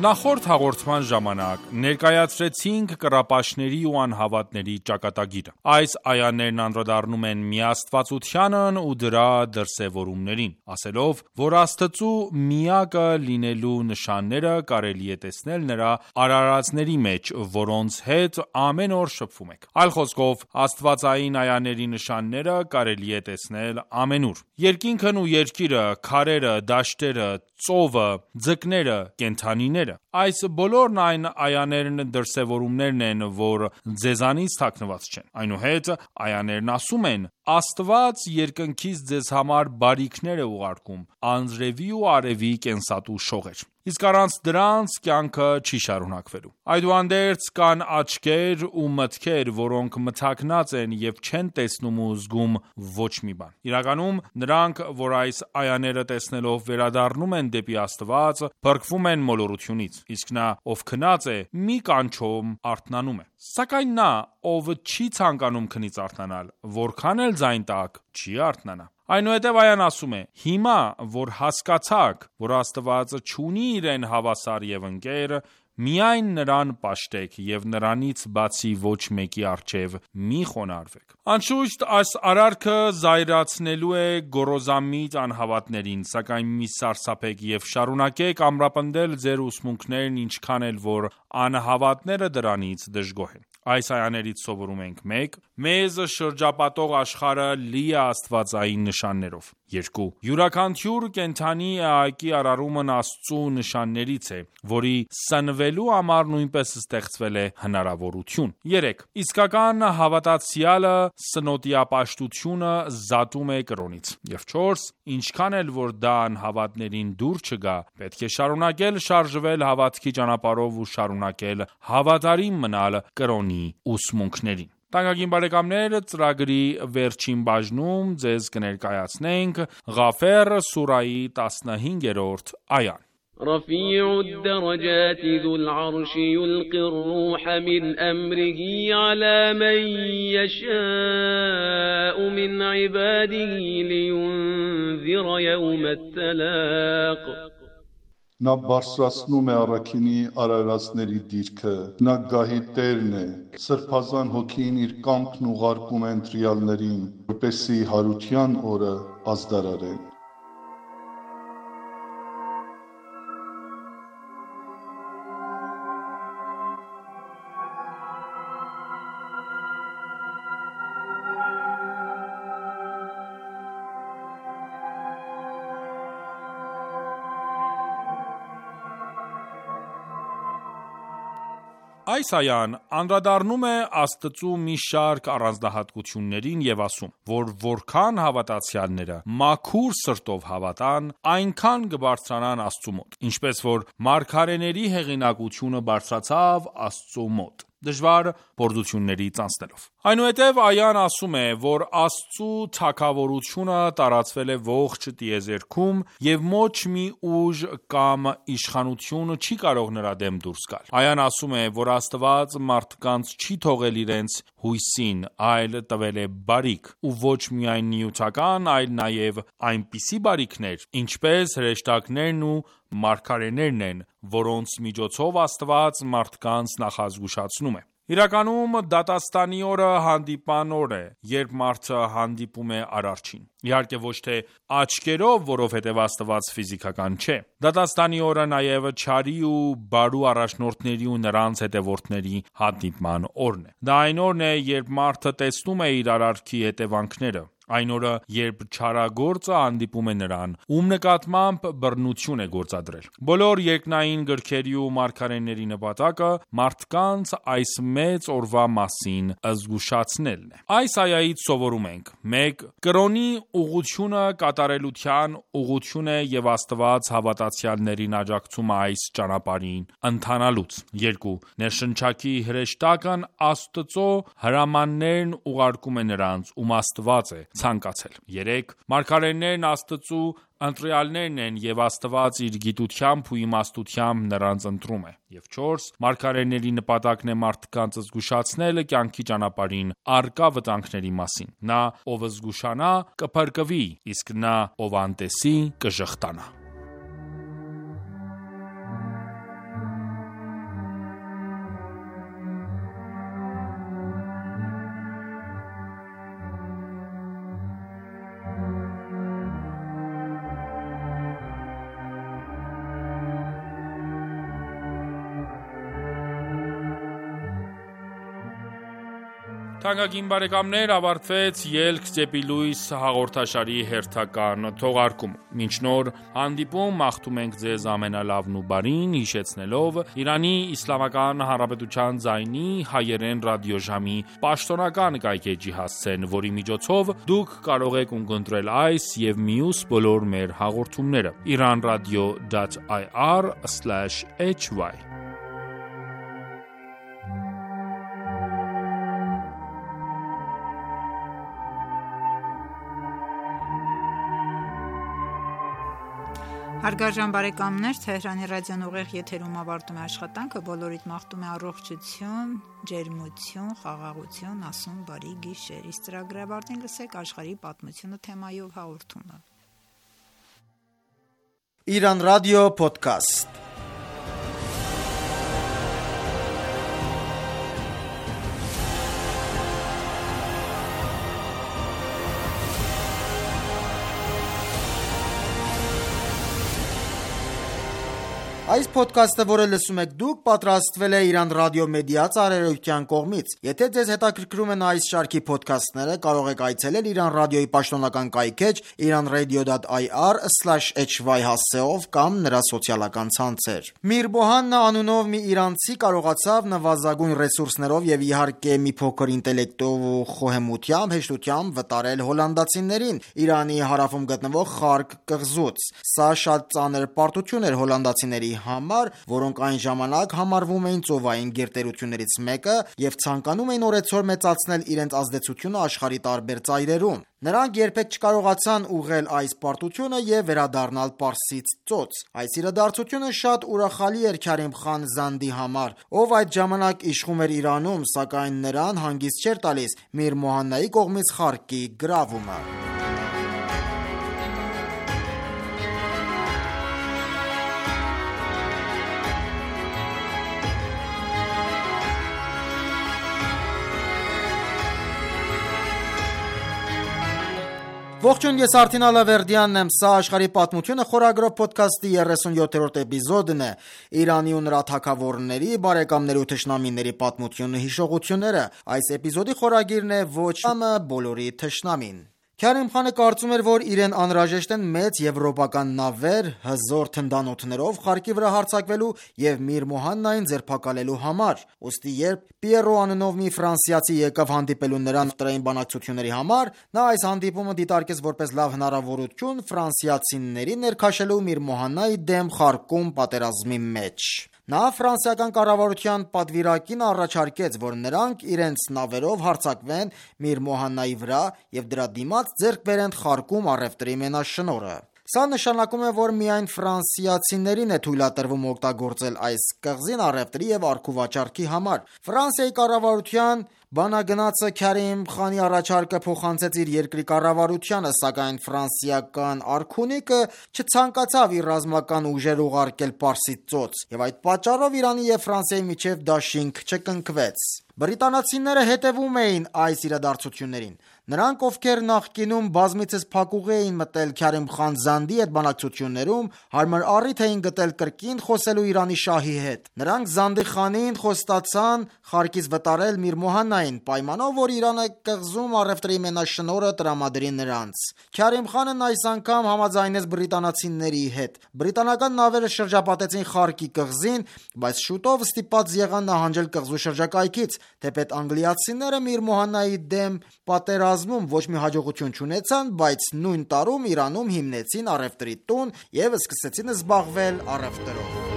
Նախորդ հաղորդման ժամանակ ներկայացրեցինք կռապաշտների ու անհավատների ճակատագիրը։ Այս այաներն անդրադառնում են միաստվածությանն ու դրա դրսևորումներին, ասելով, որ Աստծու միակը լինելու նշանները կարելի է տեսնել նրա արարածների մեջ, որոնց հետ ամեն օր շփվում եք։ Այլ խոսքով, աստվածային այաների նշանները կարելի է տեսնել ամենուր։ Երկինքն ու երկիրը, քարերը, դաշտերը, ծովը, ձկները, կենդանիները։ Այս բոլորն այն այաներն դրսևորումներն են, որ ձեզանից թաքնված չեն։ Այնուհետ այաներն ասում են. Աստված երկնքից ձեզ համար բարիքներ է ուղարկում, անձրևի ու արևի կենսատու շողեր։ Իսկ առանց դրանց կյանքը չի շարունակվելու։ Այդուհանդերձ կան աչքեր ու մտքեր, որոնք մթաքնած են եւ չեն տեսնում ու զգում ոչ մի բան։ Իրականում նրանք, որ այս այաները տեսնելով վերադառնում են դեպի Աստված, փրկվում են մոլորությունից, իսկ նա, ով քնած է, մի կանչում արթնանում է։ Սակայն նա, ով չի ցանկանում քնից արթնանալ, որքան էլ ձայն տակ, չի արթնանա։ Այնուհետև այան ասում է. Հիմա, որ հասկացաք, որ Աստված չունի իրեն հավասար եւ ընկեր, միայն նրան պաշտեք եւ նրանից բացի ոչ մեկի առջև մի խոնարհվեք։ Անշուշտ այս արարքը զայրացնելու է գոռոզամիտ անհավատներին, սակայն մի սարսափեք եւ շարունակեք ամրապնդել ձեր ուսմունքներն, ինչքան էլ որ անհավատները դրանից դժգոհ են։ Այս այաներից սովորում ենք մեկ. Մեզ շրջապատող աշխարհը լի է աստվածային նշաններով։ երկու. Յուրաքանչյուր կենդանի էակի արարումն Աստծու նշաններից է, որի սնվելու համար նույնպես ստեղծվել է հնարավորություն։ երեք. Իսկական հավատացյալը սնոտիապաշտությունը զատում է կրոնից։ Եվ չորս. Ինչքան էլ որ դա անհավատներին դուր չգա, պետք է շարունակել շարժվել հավատքի ճանապարհով ու շարունակել հավատարիմ մնալ կրոնի ուսմունքներին։ Թանկագին բարեկամներ, ծրագրի վերջին բաժնում ձեզ կներկայացնենք Ղաֆեր սուրայի տասնհինգերորդ այան։ رفيع الدرجات ذو العرش يلقي الروح من أمره على من يشاء من عباده لينذر يوم التلاق Նա բարձրացնում է առաքինի արարածների դիրքը, նա գահի տերն է, սրբազան հոգին իր կամքն ուղարկում է ընտրյալներին, որպեսզի հարության օրը ազդարարեն։ Այս այան անդրադառնում է Աստծու մի շարք առանձնահատկություններին եւ ասում, որ որքան հավատացյալները մաքուր սրտով հավատան, այնքան կբարձրանան Աստծու մոտ, ինչպես որ մարգարեների հեղինակությունը բարձրացավ Աստծու մոտ, դժվար փորձություններից անցնելով։ Այնուհետև այան ասում է, որ Աստծու թագավորությունը տարածվել է ողջ տիեզերքում եւ ոչ մի ուժ կամ իշխանություն չի կարող նրա դեմ դուրս գալ։ Այան ասում է, որ Աստված մարդկանց չի թողել իրենց հույսին, այլ տվել է բարիք, ու ոչ միայն նյութական, այլ նաեւ այնպիսի բարիքներ, ինչպես հրեշտակներն ու մարգարեներն են, որոնց միջոցով Աստված մարդկանց նախազգուշացնում է։ Իրականում դատաստանի օրը հանդիպան օր է, երբ մարդը հանդիպում է Արարչին։ Իհարկե ոչ թե աչքերով, որովհետև Աստված ֆիզիկական չէ։ Դատաստանի օրը նաև չարի ու բարու առաջնորդների ու նրանց հետևորդների հանդիպման օրն է։ Դա այն օրն է, երբ մարդը տեսնում է իր արարքի հետևանքները։ Այն օրը, երբ չարագործը հանդիպում է նրան, ում նկատմամբ բռնություն է գործադրել։ Բոլոր երկնային գրքերի ու մարգարեների նպատակը մարդկանց այս մեծ օրվա մասին զգուշացնելն է։ Այս այայից սովորում ենք. մեկ. Կրոնի ուղղությունը կատարելության ուղղություն է եւ Աստված հավատացյալներին աջակցում է այս ճանապարհին ընթանալուց։ երկու. Ներշնչակի հրեշտակն Աստծո հրամաններն ուղարկում է նրանց, ում Աստված է ցանկացել։ երեք. Մարգարեներն Աստծու ընտրյալներն են եւ Աստված իր գիտությամբ ու իմաստությամբ նրանց ընտրում է։ Եվ չորս. Մարգարեների նպատակն է մարդկանց զգուշացնելը կյանքի ճանապարհին առկա վտանգների մասին։ Նա, ով զգուշանա, կփրկվի, իսկ նա, ով անտեսի, կժխտանա։ Թանկագին բարեկամներ, ավարտվեց «Ելք դեպի լույս» հաղորդաշարի հերթական թողարկումը։ Մինչ նոր հանդիպում մաղթում ենք ձեզ ամենալավն ու բարին, հիշեցնելով Իրանի Իսլամական Հանրապետության ձայնի հայերեն ռադիոժամի պաշտոնական կայքէջի հասցեն, որի միջոցով դուք կարող եք ունկնդրել այս եւ մյուս բոլոր մեր հաղորդումները իրանradio dot i r slash h y Հարգարժան բարեկամներ, Թեհրանի ռադիոն ուղիղ եթերում ավարտում է աշխատանքը, բոլորիդ մաղթում է առողջություն, ջերմություն, խաղաղություն, ասում բարի գիշեր։ Իսկ ծրագրի ավարտին լսեք աշխարհի պատմությունը թեմայով հաղորդումը։ Իրան ռադիո փոդքասթ։ Այս ոդքասթը, որը լսում եք դուք, պատրաստվել է Իրանական ռադիո մեդիա ծառայության կողմից։ Եթե ձեզ հետաքրքրում են այս շարքի ոդքասթները, կարող եք այցելել Իրանական ռադիոյի պաշտոնական կայքէջ իրանradio.ir slash h y հասցեով կամ նրա սոցիալական ցանցեր։ Միր Մոհաննա անունով մի իրանցի կարողացավ նվազագույն ռեսուրսներով եւ իհարկե մի փոքր ինտելեկտով ու խոհեմությամբ հեշտությամբ վտարել հոլանդացիներին Իրանի հարավում գտնվող Խարկ կղզուց։ Սա շատ ծանր պարտություն էր հոլանդացիների համար, որոնք այն ժամանակ համարվում էին ծովային գերտերություններից մեկը եւ ցանկանում էին օրեցօր մեծացնել իրենց ազդեցությունը աշխարհի տարբեր ծայրերում։ Նրանք երբեք չկարողացան ուղղել այս պարտությունը եւ վերադառնալ Պարսից ծոց։ Այս իրադարձությունը շատ ուրախալի էր Քարիմ խան Զանդի համար, ով այդ ժամանակ իշխում էր Իրանում, սակայն նրան հանգիստ չէր տալիս Միր Մոհաննայի կողմից Խարկի գրավումը։ Ողջույն, ես Արթին Ալավերդյանն եմ, սա աշխարհի պատմությունը խորագրով ոդքասթի երեսունյոթերորդ էպիզոդն է։ Իրանի ու նրա թագավորների, բարեկամների ու թշնամիների պատմությունը, հիշողությունները։ Այս էպիզոդի խորագիրն է ոչ ամը բոլորի թշնամին։ Քարիմ խանը կարծում էր, որ իրեն անհրաժեշտ են մեծ եվրոպական նավեր հզոր թնդանոթներով Խարկի վրա հարձակվելու եւ Միր Մոհաննային ձերբակալելու համար։ Ոստի երբ Պիերո անունով մի ֆրանսիացի եկավ հանդիպելու նրան տրային բանակցությունների համար, նա այս հանդիպումը դիտարկեց որպես լավ հնարավորություն ֆրանսիացիների ներքաշելու Միր Մոհաննայի դեմ Խարկում պատերազմի մեջ։ Նա ֆրանսիական կառավարության պատվիրակին առաջարկեց, որ նրանք իրենց նավերով հարձակվեն Միր Մոհաննայի վրա եւ դրա դիմաց ձեռք բերեն Խարկում առևտրի մենաշնորհը։ Սա նշանակում է, որ միայն ֆրանսիացիներին է թույլատրվում օգտագործել այս կղզին առևտրի եւ առքուվաճառքի համար։ Ֆրանսիայի կառավարության բանագնացը Քարիմ խանի առաջարկը փոխանցեց իր երկրի կառավարությանը, սակայն ֆրանսիական արքունիկը չցանկացավ իր ռազմական ուժեր ուղարկել Պարսից ծոց, եւ այդ պատճառով Իրանի եւ Ֆրանսիայի միջև դաշինք չկնքվեց։ Բրիտանացիները հետևում էին այս իրադարձություններին։ Նրանք, ովքեր նախկինում բազմիցս փակուղի էին մտել Քարիմ խան Զանդի հետ բանակցություններում, հարմար առիթ էին գտել կրկին խոսելու Իրանի շահի հետ։ Նրանք Զանդի խանին խոստացան Խարկից վտարել Միր Մոհաննային, պայմանով, որ Իրանը կղզում առևտրի մենաշնորհը տրամադրի նրանց։ Քարիմ խանն այս անգամ համաձայնեց բրիտանացիների հետ։ Բրիտանական նավերը շրջապատեցին Խարկի կղզին, բայց շուտով ստիպված եղան նահանջել կղզու շրջակայքից։ Թեպետ անգլիացիները Միր Մոհաննայի դեմ պատերազմում ոչ մի հաջողություն չունեցան, բայց նույն տարում Իրանում հիմնեցին առևտրի տուն եւ սկսեցին զբաղվել առևտրով։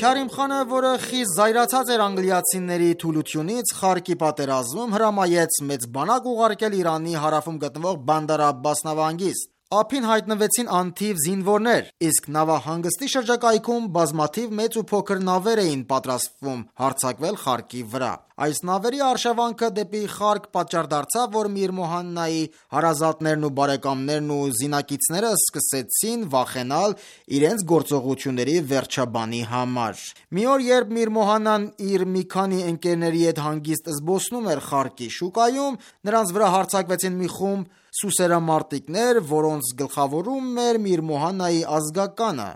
Քարիմ խանը, որը խիստ զայրացած էր անգլիացիների թուլությունից, Խարկի պատերազմում հրամայեց մեծ բանակ ուղարկել Իրանի հարավում գտնվող Բանդար Աբբաս նավահանգիստ։ Ափին հայտնվեցին անթիվ զինվորներ, իսկ նավահանգստի շրջակայքում բազմաթիվ մեծ ու փոքր նավեր էին պատրաստվում հարձակվել Խարկի վրա։ Այս նավերի արշավանքը դեպի Խարկ պատճառ դարձավ, որ Միր Մոհաննայի հարազատներն ու բարեկամներն ու զինակիցները սկսեցին վախենալ իրենց գործողությունների վերջաբանի համար։ Մի օր, երբ Միր Մոհաննան իր մի քանի ընկերների հետ հանգիստ զբոսնում էր Խարկի շուկայում, նրանց վրա հարձակվեցին մի խումբ սուսերամարտիկներ, որոնց գլխավորում էր Միր Մոհաննայի ազգականը։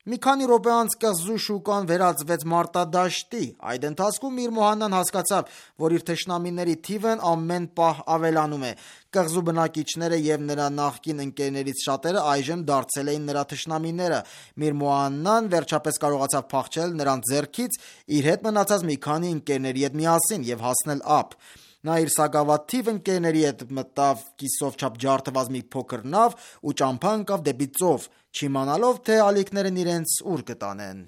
Մի քանի րոպե անց կղզու շուկան վերածվեց մարտադաշտի։ Այդ ընթացքում Միր Մոհաննան հասկացավ, որ իր թշնամիների թիվն ամեն պահ ավելանում է։ Կղզու բնակիչները եւ նրա նախկին ընկերներից շատերը այժմ դարձել էին նրա թշնամիները։ Միր Մոհաննան վերջապես կարողացավ փախչել նրանց ձեռքից իր հետ մնացած մի քանի ընկերների հետ միասին եւ հասնել ափ։ Նա իր սակավաթիվ ընկերների հետ մտավ կիսով չափ ջարդված մի փոքր նավ ու ճամփա ընկավ դեպի ծով, չիմանալով, թե ալիքներն իրենց ուր կտանեն։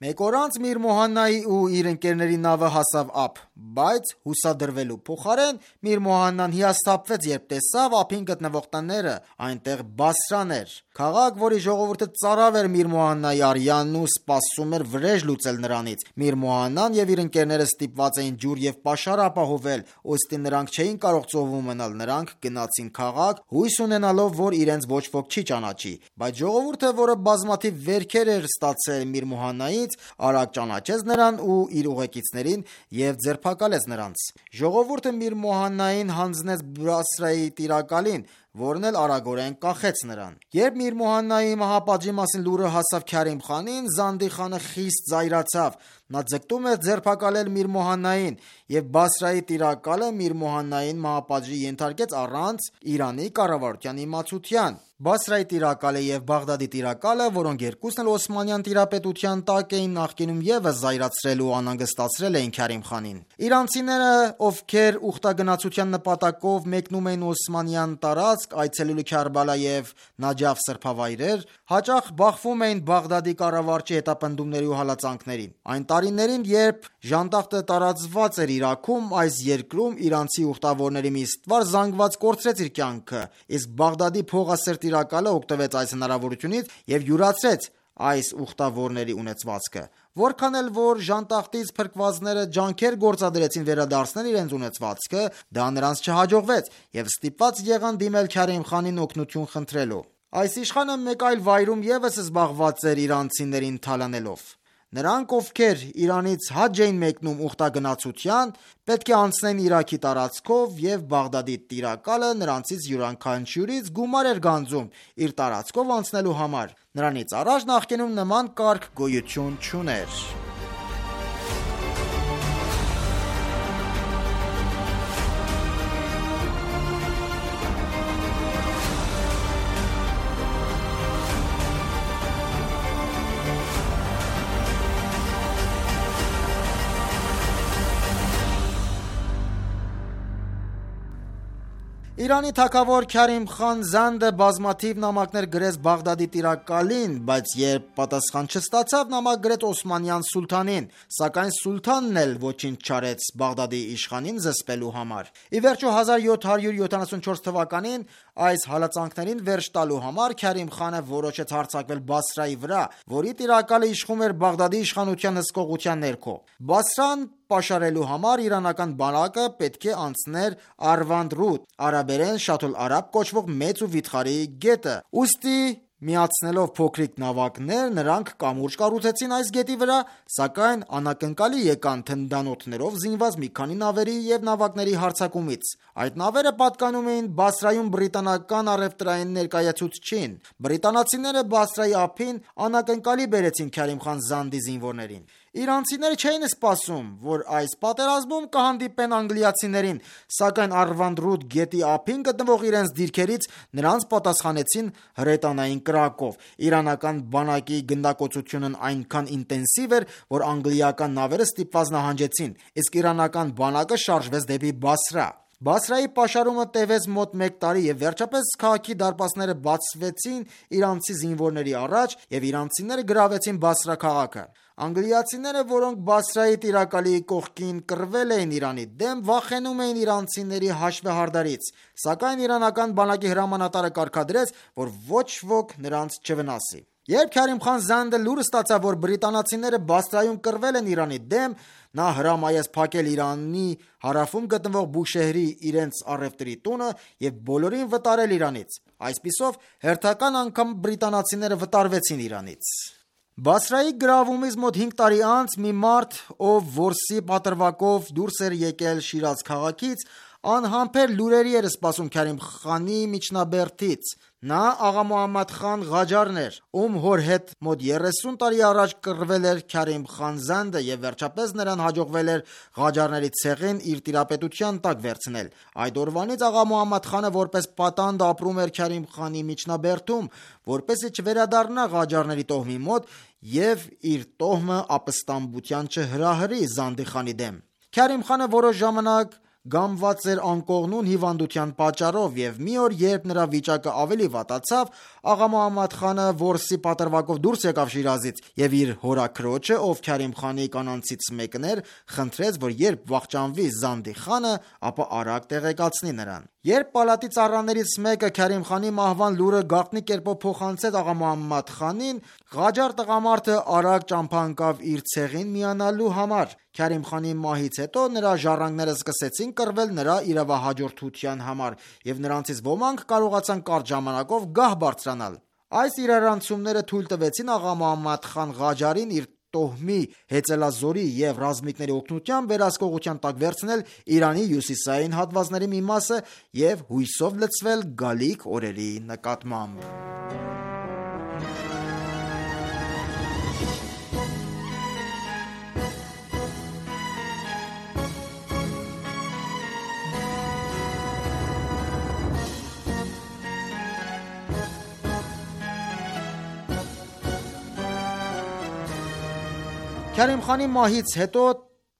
Մեկ օր անց Միր Մոհաննայի ու իր ընկերների նավը հասավ ափ, բայց հուսադրվելու փոխարեն Միր Մոհաննան հիասթափվեց, երբ տեսավ ափին գտնվող տները, այնտեղ Բասրան էր, քաղաք, որի ժողովուրդը ծարավ էր Միր Մոհաննայի արյանն ու սպասում էր վրեժ լուծել նրանից։ Միր Մոհաննան եւ իր ընկերները ստիպված էին ջուր եւ պաշար ապահովել, ուստի նրանք չէին կարող ծովում մնալ, նրանք գնացին քաղաք, հույս ունենալով, որ իրենց ոչ ոք չի ճանաչի, բայց ժողովուրդը, որը բազմաթիվ վերքեր էր ստացել Միր Մոհաննայից, արագ ճանաչեց նրան ու իր ուղեկիցներին եւ ձերբակալեց նրանց։ Ժողովուրդը Միր Մոհաննային հանձնեց Բասրայի տիրակալին, որն էլ արագորեն կախեց նրան։ Երբ Միր Մոհաննայի մահապատժի մասին լուրը հասավ Քարիմ խանին, Զանդի խանը խիստ զայրացավ։ Նա ձգտում էր ձերբակալել Միր Մոհաննային եւ Բասրայի տիրակալը Միր Մոհաննային մահապատժի ենթարկեց առանց Իրանի կառավարության իմացության։ Բասրայի տիրակալը եւ Բաղդադի տիրակալը, որոնք երկուսն էլ Օսմանյան տիրապետության տակ էին, նախկինում եւս զայրացրել ու անհանգստացրել էին Քարիմ խանին։ Իրանցիները, ովքեր ուխտագնացության նպատակով մեկնում էին Օսմանյան տարածք, այցելելու Քարբալա եւ Նաջաֆ սրբավայրեր, հաճախ բախվում էին Բաղդադի կառավարչի հետապնդումների ու հալածանքներին։ Այն տարիներին, երբ ժանտախտը տարածված էր Իրաքում, այս երկրում իրանցի ուխտավորների մի ստվար զանգված կորցրեց իր կյանքը, իսկ Բաղդադի փողասեր տիրակալը օգտվեց այս հնարավորությունից եւ յուրացրեց այս ուխտավորների ունեցվածքը։ Որքան էլ որ ժանտախտից փրկվածները ջանքեր գործադրեցին վերադարձնել իրենց ունեցվածքը, դա նրանց չհաջողվեց եւ ստիպված եղան դիմել Քարիմ խանին օգնություն խնդրելու։ Այս իշխանը մեկ այլ վայրում եւս զբաղված էր իրանցիներին թալանելով։ Նրանք, ովքեր Իրանից հաջ էին մեկնում ուխտագնացության, պետք է անցնեն Իրաքի տարածքով եւ Բաղդադի տիրակալը նրանցից յուրաքանչյուրից գումար էր գանձում իր տարածքով անցնելու համար։ Նրանից առաջ նախկինում նման կարգ գոյություն չուներ։ Իրանի թագավոր Քարիմ խան Զանդը բազմաթիվ նամակներ գրեց Բաղդադի տիրակալին, բայց երբ պատասխան չստացավ, նամակ գրեց Օսմանյան սուլթանին, սակայն սուլթանն էլ ոչինչ չարեց Բաղդադի իշխանին զսպելու համար։ Ի վերջո հազար յոթ հարյուր յոթանասունչորս թվականին այս հալածանքներին վերջ տալու համար Քարիմ խանը որոշեց հարձակվել Բասրայի վրա, որի տիրակալը իշխում էր Բաղդադի իշխանության հսկողության ներքո։ Բասրան պաշարելու համար իրանական բանակը պետք է անցներ Արվանդ Ռուդ, արաբերեն Շաթուլ Արաբ կոչվող մեծ ու վիթխարի գետը։ Ուստի միացնելով փոքրիկ նավակներ, նրանք կամուրջ կառուցեցին այս գետի վրա, սակայն անակնկալի եկան թնդանոթներով զինված մի քանի նավերի եւ նավակների հարձակումից։ Այդ նավերը պատկանում էին Բասրայում բրիտանական առևտրային ներկայացուցչին։ Բրիտանացիները Բասրայի ափին անակնկալի բերեցին Քարիմ խան Զանդի զինվորներին։ Իրանցիները չէին սպասում, որ այս պատերազմում կհանդիպեն անգլիացիներին, սակայն Արվանդ Ռուդ գետի ափին գտնվող իրենց դիրքերից նրանց պատասխանեցին հրետանային կրակով։ Իրանական բանակի գնդակոծությունն այնքան ինտենսիվ էր, որ անգլիական նավերը ստիպված նահանջեցին, իսկ իրանական բանակը շարժվեց դեպի Բասրա։ Բասրայի պաշարումը տևեց մոտ մեկ տարի եւ վերջապես քաղաքի դարպասները բացվեցին իրանցի զինվորների առաջ եւ իրանցիները գրավեցին Բասրա քաղաքը։ Անգլիացիները, որոնք Բասրայի տիրակալի կողքին կռվել էին Իրանի դեմ, վախենում էին իրանցիների հաշվեհարդարից, սակայն իրանական բանակի հրամանատարը կարգադրեց, որ ոչ ոք նրանց չվնասի։ Երբ Քարիմ խան Զանդը լուրը ստացավ, որ բրիտանացիները Բասրայում կռվել են Իրանի դեմ, նա հրամայեց փակել Իրանի հարավում գտնվող Բուշեհրի իրենց առևտրի տունը եւ բոլորին վտարել Իրանից։ Այսպիսով հերթական անգամ բրիտանացիները վտարվեցին Իրանից։ Բասրայի գրավումից մոտ հինգ տարի անց մի մարդ, ով որսի պատրվակով դուրս էր եկել Շիրազ քաղաքից, անհամբեր լուրերի էր սպասում Քարիմ խանի միջնաբերդից։ Նա աղա Մոհամմադ խան Ղաջարն էր, ում հոր հետ մոտ երեսուն տարի առաջ կռվել էր Քարիմ խան Զանդը եւ վերջապես նրան հաջողվել էր Ղաջարների ցեղին իր տիրապետության տակ վերցնել։ Այդ օրվանից աղա Մոհամմադ խանը որպես պատանդ ապրում էր Քարիմ խանի միջնաբերդում, որպեսզի չվերադառնա Ղաջարների տոհմի մոտ եւ իր տոհմը ապստամբության չհրահրի Զանդի խանի դեմ։ Քարիմ խանը որոշ ժամանակ գամված էր անկողնուն հիվանդության պատճառով եւ մի օր, երբ նրա վիճակը ավելի վատացավ, աղա Մոհամմադ խանը որսի պատրվակով դուրս եկավ Շիրազից եւ իր հորաքրոջը, ով Քարիմ խանի կանանցից մեկն էր, խնդրեց, որ երբ վախճանվի Զանդի խանը, ապա արագ տեղեկացնի նրան։ Երբ պալատի ծառաներից մեկը Քարիմ խանի մահվան լուրը գաղտնի կերպով փոխանցեց աղա Մոհամմադ խանին, Ղաջար տղամարդը արագ ճամփա ընկավ իր ցեղին միանալու համար։ Քարիմ խանի մահից հետո նրա ժառանգները սկսեցին կռվել նրա իրավահաջորդության համար, եւ նրանցից ոմանք կարողացան կարճ ժամանակով գահ բարձրանալ։ Այս իրարանցումները թույլ տվեցին աղա Մոհամմադ խան Ղաջարին իր տոհմի, հեծելազորի եւ ռազմիկների օգնությամբ վերահսկողության տակ վերցնել Իրանի հյուսիսային հատվածների մի մասը եւ հույսով լցվել գալիք օրերի նկատմամբ։ Քարիմ խանի մահից հետո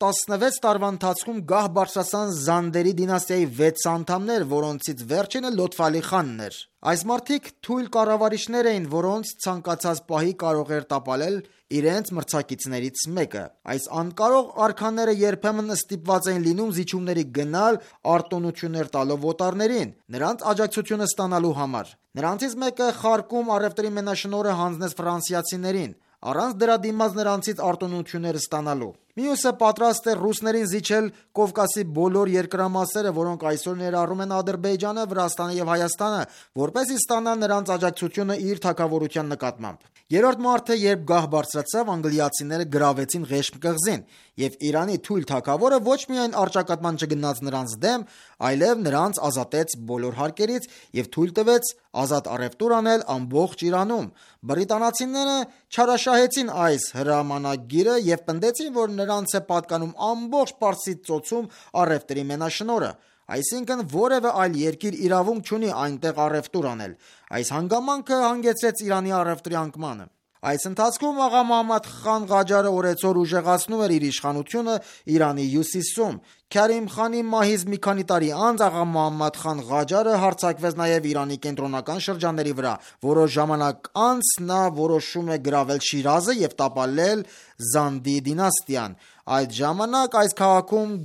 տասնվեց տարվա ընթացքում գահ բարձրացան Զանդերի դինաստիայի վեց անդամներ, որոնցից վերջինը Լոթֆ խանն էր։ Այս մարդիկ թույլ կառավարիչներ էին, որոնց ցանկացած պահի կարող էր տապալել իրենց մրցակիցներից մեկը։ Այս անկարող արքաները երբեմն ստիպված էին լինում զիջումների գնալ, արտոնություններ տալով օտարներին, նրանց աջակցությունը ստանալու համար։ Նրանցից մեկը խարկում առևտրի մենաշնորհը հանձնեց ֆրանսիացիներին, առանց դրա դիմաց նրանցից արտոնություններ ստանալու։ Մյուսը պատրաստ է ռուսներին զիջել Կովկասի բոլոր երկրամասերը, որոնք այսօր ներառում են Ադրբեջանը, Վրաստանը եւ Հայաստանը, որպեսզի ստանա նրանց աջակցությունը իր թագավորության նկատմամբ։ Երրորդ մարդը, երբ գահ բարձրացավ, անգլիացիները գրավեցին Ղեշմ կղզին, եւ Իրանի թույլ թագավորը ոչ միայն առճակատման չգնաց նրանց դեմ, այլև նրանց ազատեց բոլոր հարկերից եւ թույլ տվեց ազատ առևտուր անել ամբողջ Իրանում։ Բրիտանացիները չարաշահեցին այս հրամանագիրը եւ պնդեցին, որ նրանց է պատկանում ամբողջ Պարսից ծոցում առևտրի մենաշնորհը, այսինքն որևէ այլ երկիր իրավունք չունի այնտեղ առևտուր անել։ Այս հանգամանքը հանգեցրեց Իրանի առևտրի անկմանը։ Այս ընթացքում աղա Մոհամմադ խան Ղաջարը օրեցօր ուժեղացնում էր իր իշխանությունը Իրանի հյուսիսում։ Քարիմ խանի մահից մի քանի տարի անց աղա Մոհամմադ խան Ղաջարը հարձակվեց նաև Իրանի կենտրոնական շրջանների վրա։ Որոշ ժամանակ անց նա որոշում է գրավել Շիրազը եւ տապալել Զանդի դինաստիան։ Այդ ժամանակ այս քաղաքում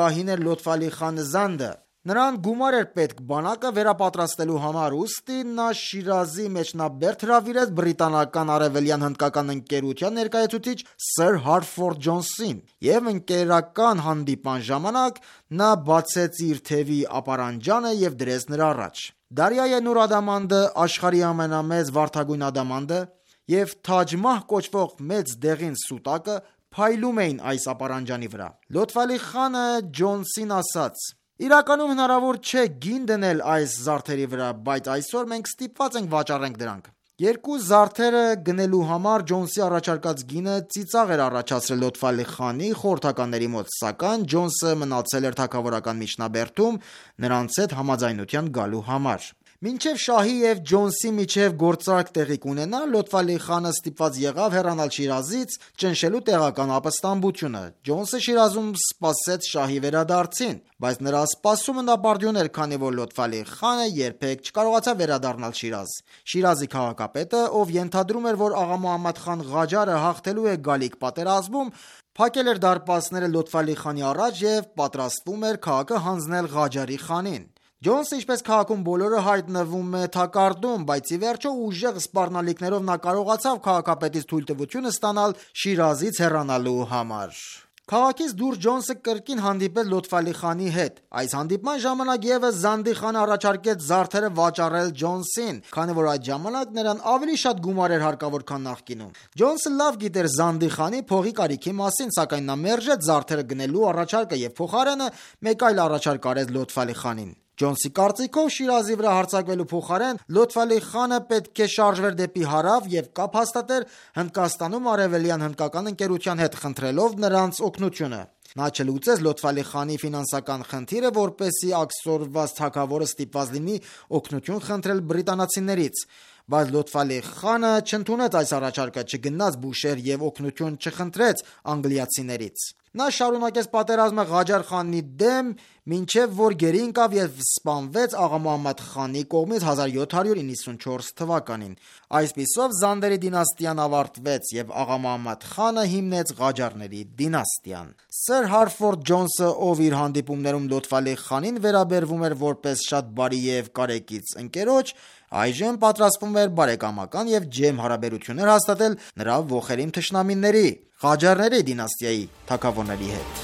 գահին էր Լոթֆ խան Զանդը։ Նրան գումար էր պետք բանակը վերապատրաստելու համար, ուստի նա Շիրազի մեջնաբերդ հրավիրեց բրիտանական արևելյան հնդկական ընկերության ներկայացուցիչ Սըր Հարֆորդ Ջոնսին, եւ ընկերական հանդիպան ժամանակ նա բացեց իր թևի ապարանջանը եւ դրեց նրա առաջ։ Դարիայե Նուր ադամանդը, աշխարհի ամենամեծ վարդագույն ադամանդը, եւ Թաջմահ կոչվող մեծ դեղին սուտակը փայլում էին այս ապարանջանի վրա։ Լոթֆ խանը Ջոնսին ասաց. Իրականում հնարավոր չէ գին դնել այս զարդերի վրա, բայց այսօր մենք ստիպված ենք վաճառենք դրանք։ Երկու զարդերը գնելու համար Ջոնսի առաջարկած գինը ծիծաղ էր առաջացրել Լոթֆ խանի խորհրդականների մոտ, սակայն Ջոնսը մնացել էր թագավորական միջնաբերդում նրանց հետ համաձայնության գալու համար։ Մինչև շահի եւ Ջոնսի միջև գործարք տեղի կունենա, Լոթֆ խանը ստիպված եղավ հեռանալ Շիրազից, ճնշելու տեղական ապստամբությունը։ Ջոնսը Շիրազում սպասեց շահի վերադարձին, բայց նրա սպասումը նապարդյուն էր, քանի որ Լոթֆ խանը երբեք չկարողացավ վերադառնալ Շիրազ։ Շիրազի քաղաքապետը, ով ենթադրում էր, որ աղա Մոհամմադ խան Ղաջարը հաղթելու է գալիք պատերազմում, փակել էր դարպասները Լոթֆ խանի առաջ եւ պատրաստվում էր քաղաքը հանձնել Ղաջարի խանին։ Ջոնսը, ինչպես քաղաքում բոլորը, հայտնվում է թակարդում, բայց ի վերջո ուժեղ սպառնալիքներով նա կարողացավ քաղաքապետից թույլտվությունը ստանալ Շիրազից հեռանալու համար։ Քաղաքից դուրս Ջոնսը կրկին հանդիպեց Լոթֆ խանի հետ։ Այս հանդիպման ժամանակ եւս Զանդի խանը առաջարկեց զարդերը վաճառել Ջոնսին, քանի որ այդ ժամանակ նրան ավելի շատ գումար էր հարկավոր, քան նախկինում։ Ջոնսը լավ գիտեր Զանդի խանի փողի կարիքի մասին, սակայն նա մերժեց զարդերը գնելու առաջարկը եւ փոխարենը մեկ այլ առաջարկ արեց Լոթֆ խանին։ Ջոնսի կարծիքով Շիրազի վրա հարձակվելու փոխարեն Լոթֆ խանը պետք է շարժվեր դեպի հարավ եւ կապ հաստատեր Հնդկաստանում արևելյան հնդկական ընկերության հետ, խնդրելով նրանց օգնությունը։ Նա չլուծեց Լոթֆ խանի ֆինանսական խնդիրը, որպեսզի աքսորված թագավորը ստիպված լինի օգնություն խնդրել բրիտանացիներից, բայց Լոթֆ խանը չընդունեց այս առաջարկը, չգնաց Բուշեր եւ օգնություն չխնդրեց անգլիացիներից։ Նա շարունակեց պատերազմը Ղաջար խանի դեմ, մինչև որ գերի ընկավ և սպանվեց աղա Մուհամմադ խանի կողմից հազար յոթ հարյուր իննսունչորս թվականին։ Այսպիսով Զանդերի դինաստիան ավարտվեց և աղա Մուհամմադ խանը հիմնեց Ղաջարների դինաստիան։ Սըր Հարֆորդ Ջոնսը, ով իր հանդիպումներում Լոթֆ խանին վերաբերվում էր որպես շատ բարի և կարեկից ընկերոջ, այժմ պատրաստվում էր բարեկամական և ջերմ հարաբերություններ հաստատել նրա ոխերիմ թշնամիների՝ Ղաջարների դինաստիայի թագավորների հետ։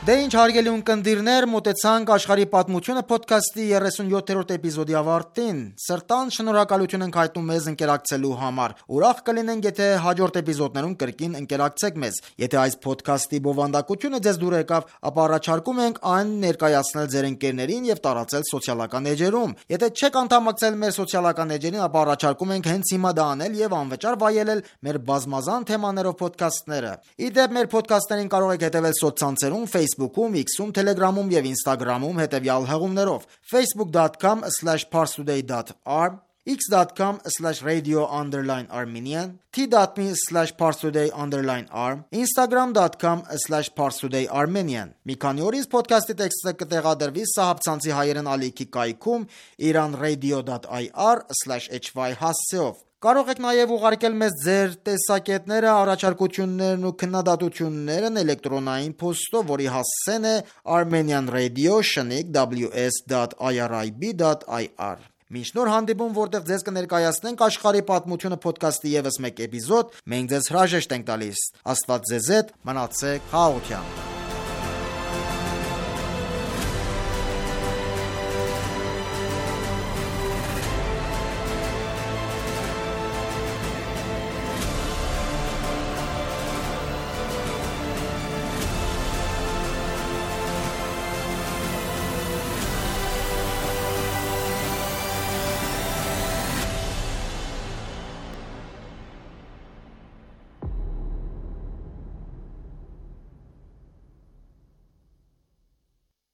Դե ինչ հարգելի ունկնդիրներ, մոտեցանք աշխարհի պատմությունը փոդքասթի երեսունյոթերորդ էպիզոդի ավարտին։ Սրտան շնորհակալություն ենք հայտնում մեզ ընկերակցելու համար։ Ուրախ կլինենք, եթե հաջորդ էպիզոդներում կրկին ընկերակցեք մեզ։ Եթե այս փոդքասթի բովանդակությունը ձեզ դուր եկավ, ապա առաջարկում ենք այն ներկայացնել ձեր ընկերներին եւ տարածել սոցիալական էջերում։ Եթե չեք անդամակցել մեր սոցիալական էջերին, ապա առաջարկում ենք հենց հիմա դա անել եւ անվճար վայելել մեր բազմազան թեմաներով փոդքասթները։ Իդեպ մեր փոդքասթերին կարող եք հետևել սոցցանցերում, Facebook-ում, X-ում, Telegram-ում եւ Instagram-ում հետեւյալ հղումներով: facebook dot com slash parstoday dot r, x dot com slash radio underline armenian, t dot m e slash parstoday underline r, instagram dot com slash parstoday armenian։ Մի քանի օրից փոդքասթի տեքստը կտեղադրվի Սահաբ հայերեն ալիքի կայքում iranradio dot i r slash h y հասցեով։ Կարող եք նաև ուղարկել մեզ ձեր տեսակետները, առաջարկություններն ու քննադատություններն էլեկտրոնային փոստով, որի հասցեն է armenian radio շնիկ w s dot i r i b dot i r։ Մինչ նոր հանդիպում, որտեղ ձեզ կներկայացնենք աշխարհի պատմությունը փոդքասթի ևս մեկ էպիզոդ, մենք ձեզ հրաժեշտ ենք տալիս։ Աստված ձեզ հետ, մնացեք խաղաղությամբ։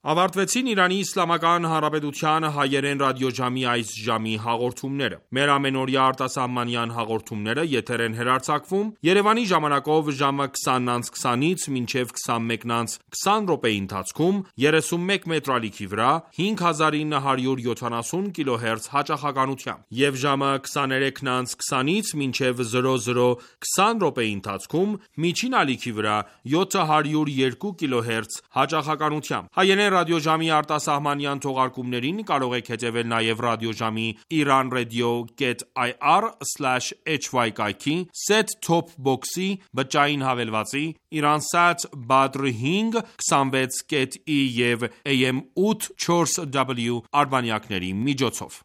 Ավարտվեցին Իրանի Իսլամական Հանրապետության հայերեն ռադիոժամի այս ժամի հաղորդումները։ Մեր ամենօրյա արտասահմանյան հաղորդումները եթեր են հեռարձակվում Երևանի ժամանակով ժամը քսանից քսանից մինչև քսանմեկից քսան րոպեի ընթացքում երեսունմեկ մետրալիքի վրա հինգ հազար ինը հարյուր յոթանասուն կիլոհերց հաճախականությամբ և ժամը քսաներեքից քսանից մինչև զրո զրո քսան րոպեի ընթացքում միջին ալիքի վրա յոթ հարյուր երկու կիլոհերց հաճախականությամբ։ Հայերեն ռադիոժամի արտասահմանյան թողարկումներին կարող եք հետևել նաև ռադիոժամի iranradio.ir slash hy կայքի, set-top box-ի, բջջային հավելվածի, Iransat Badr հինգ քսանվեց կետ ի և A M ութ չորս W արբանյակների միջոցով։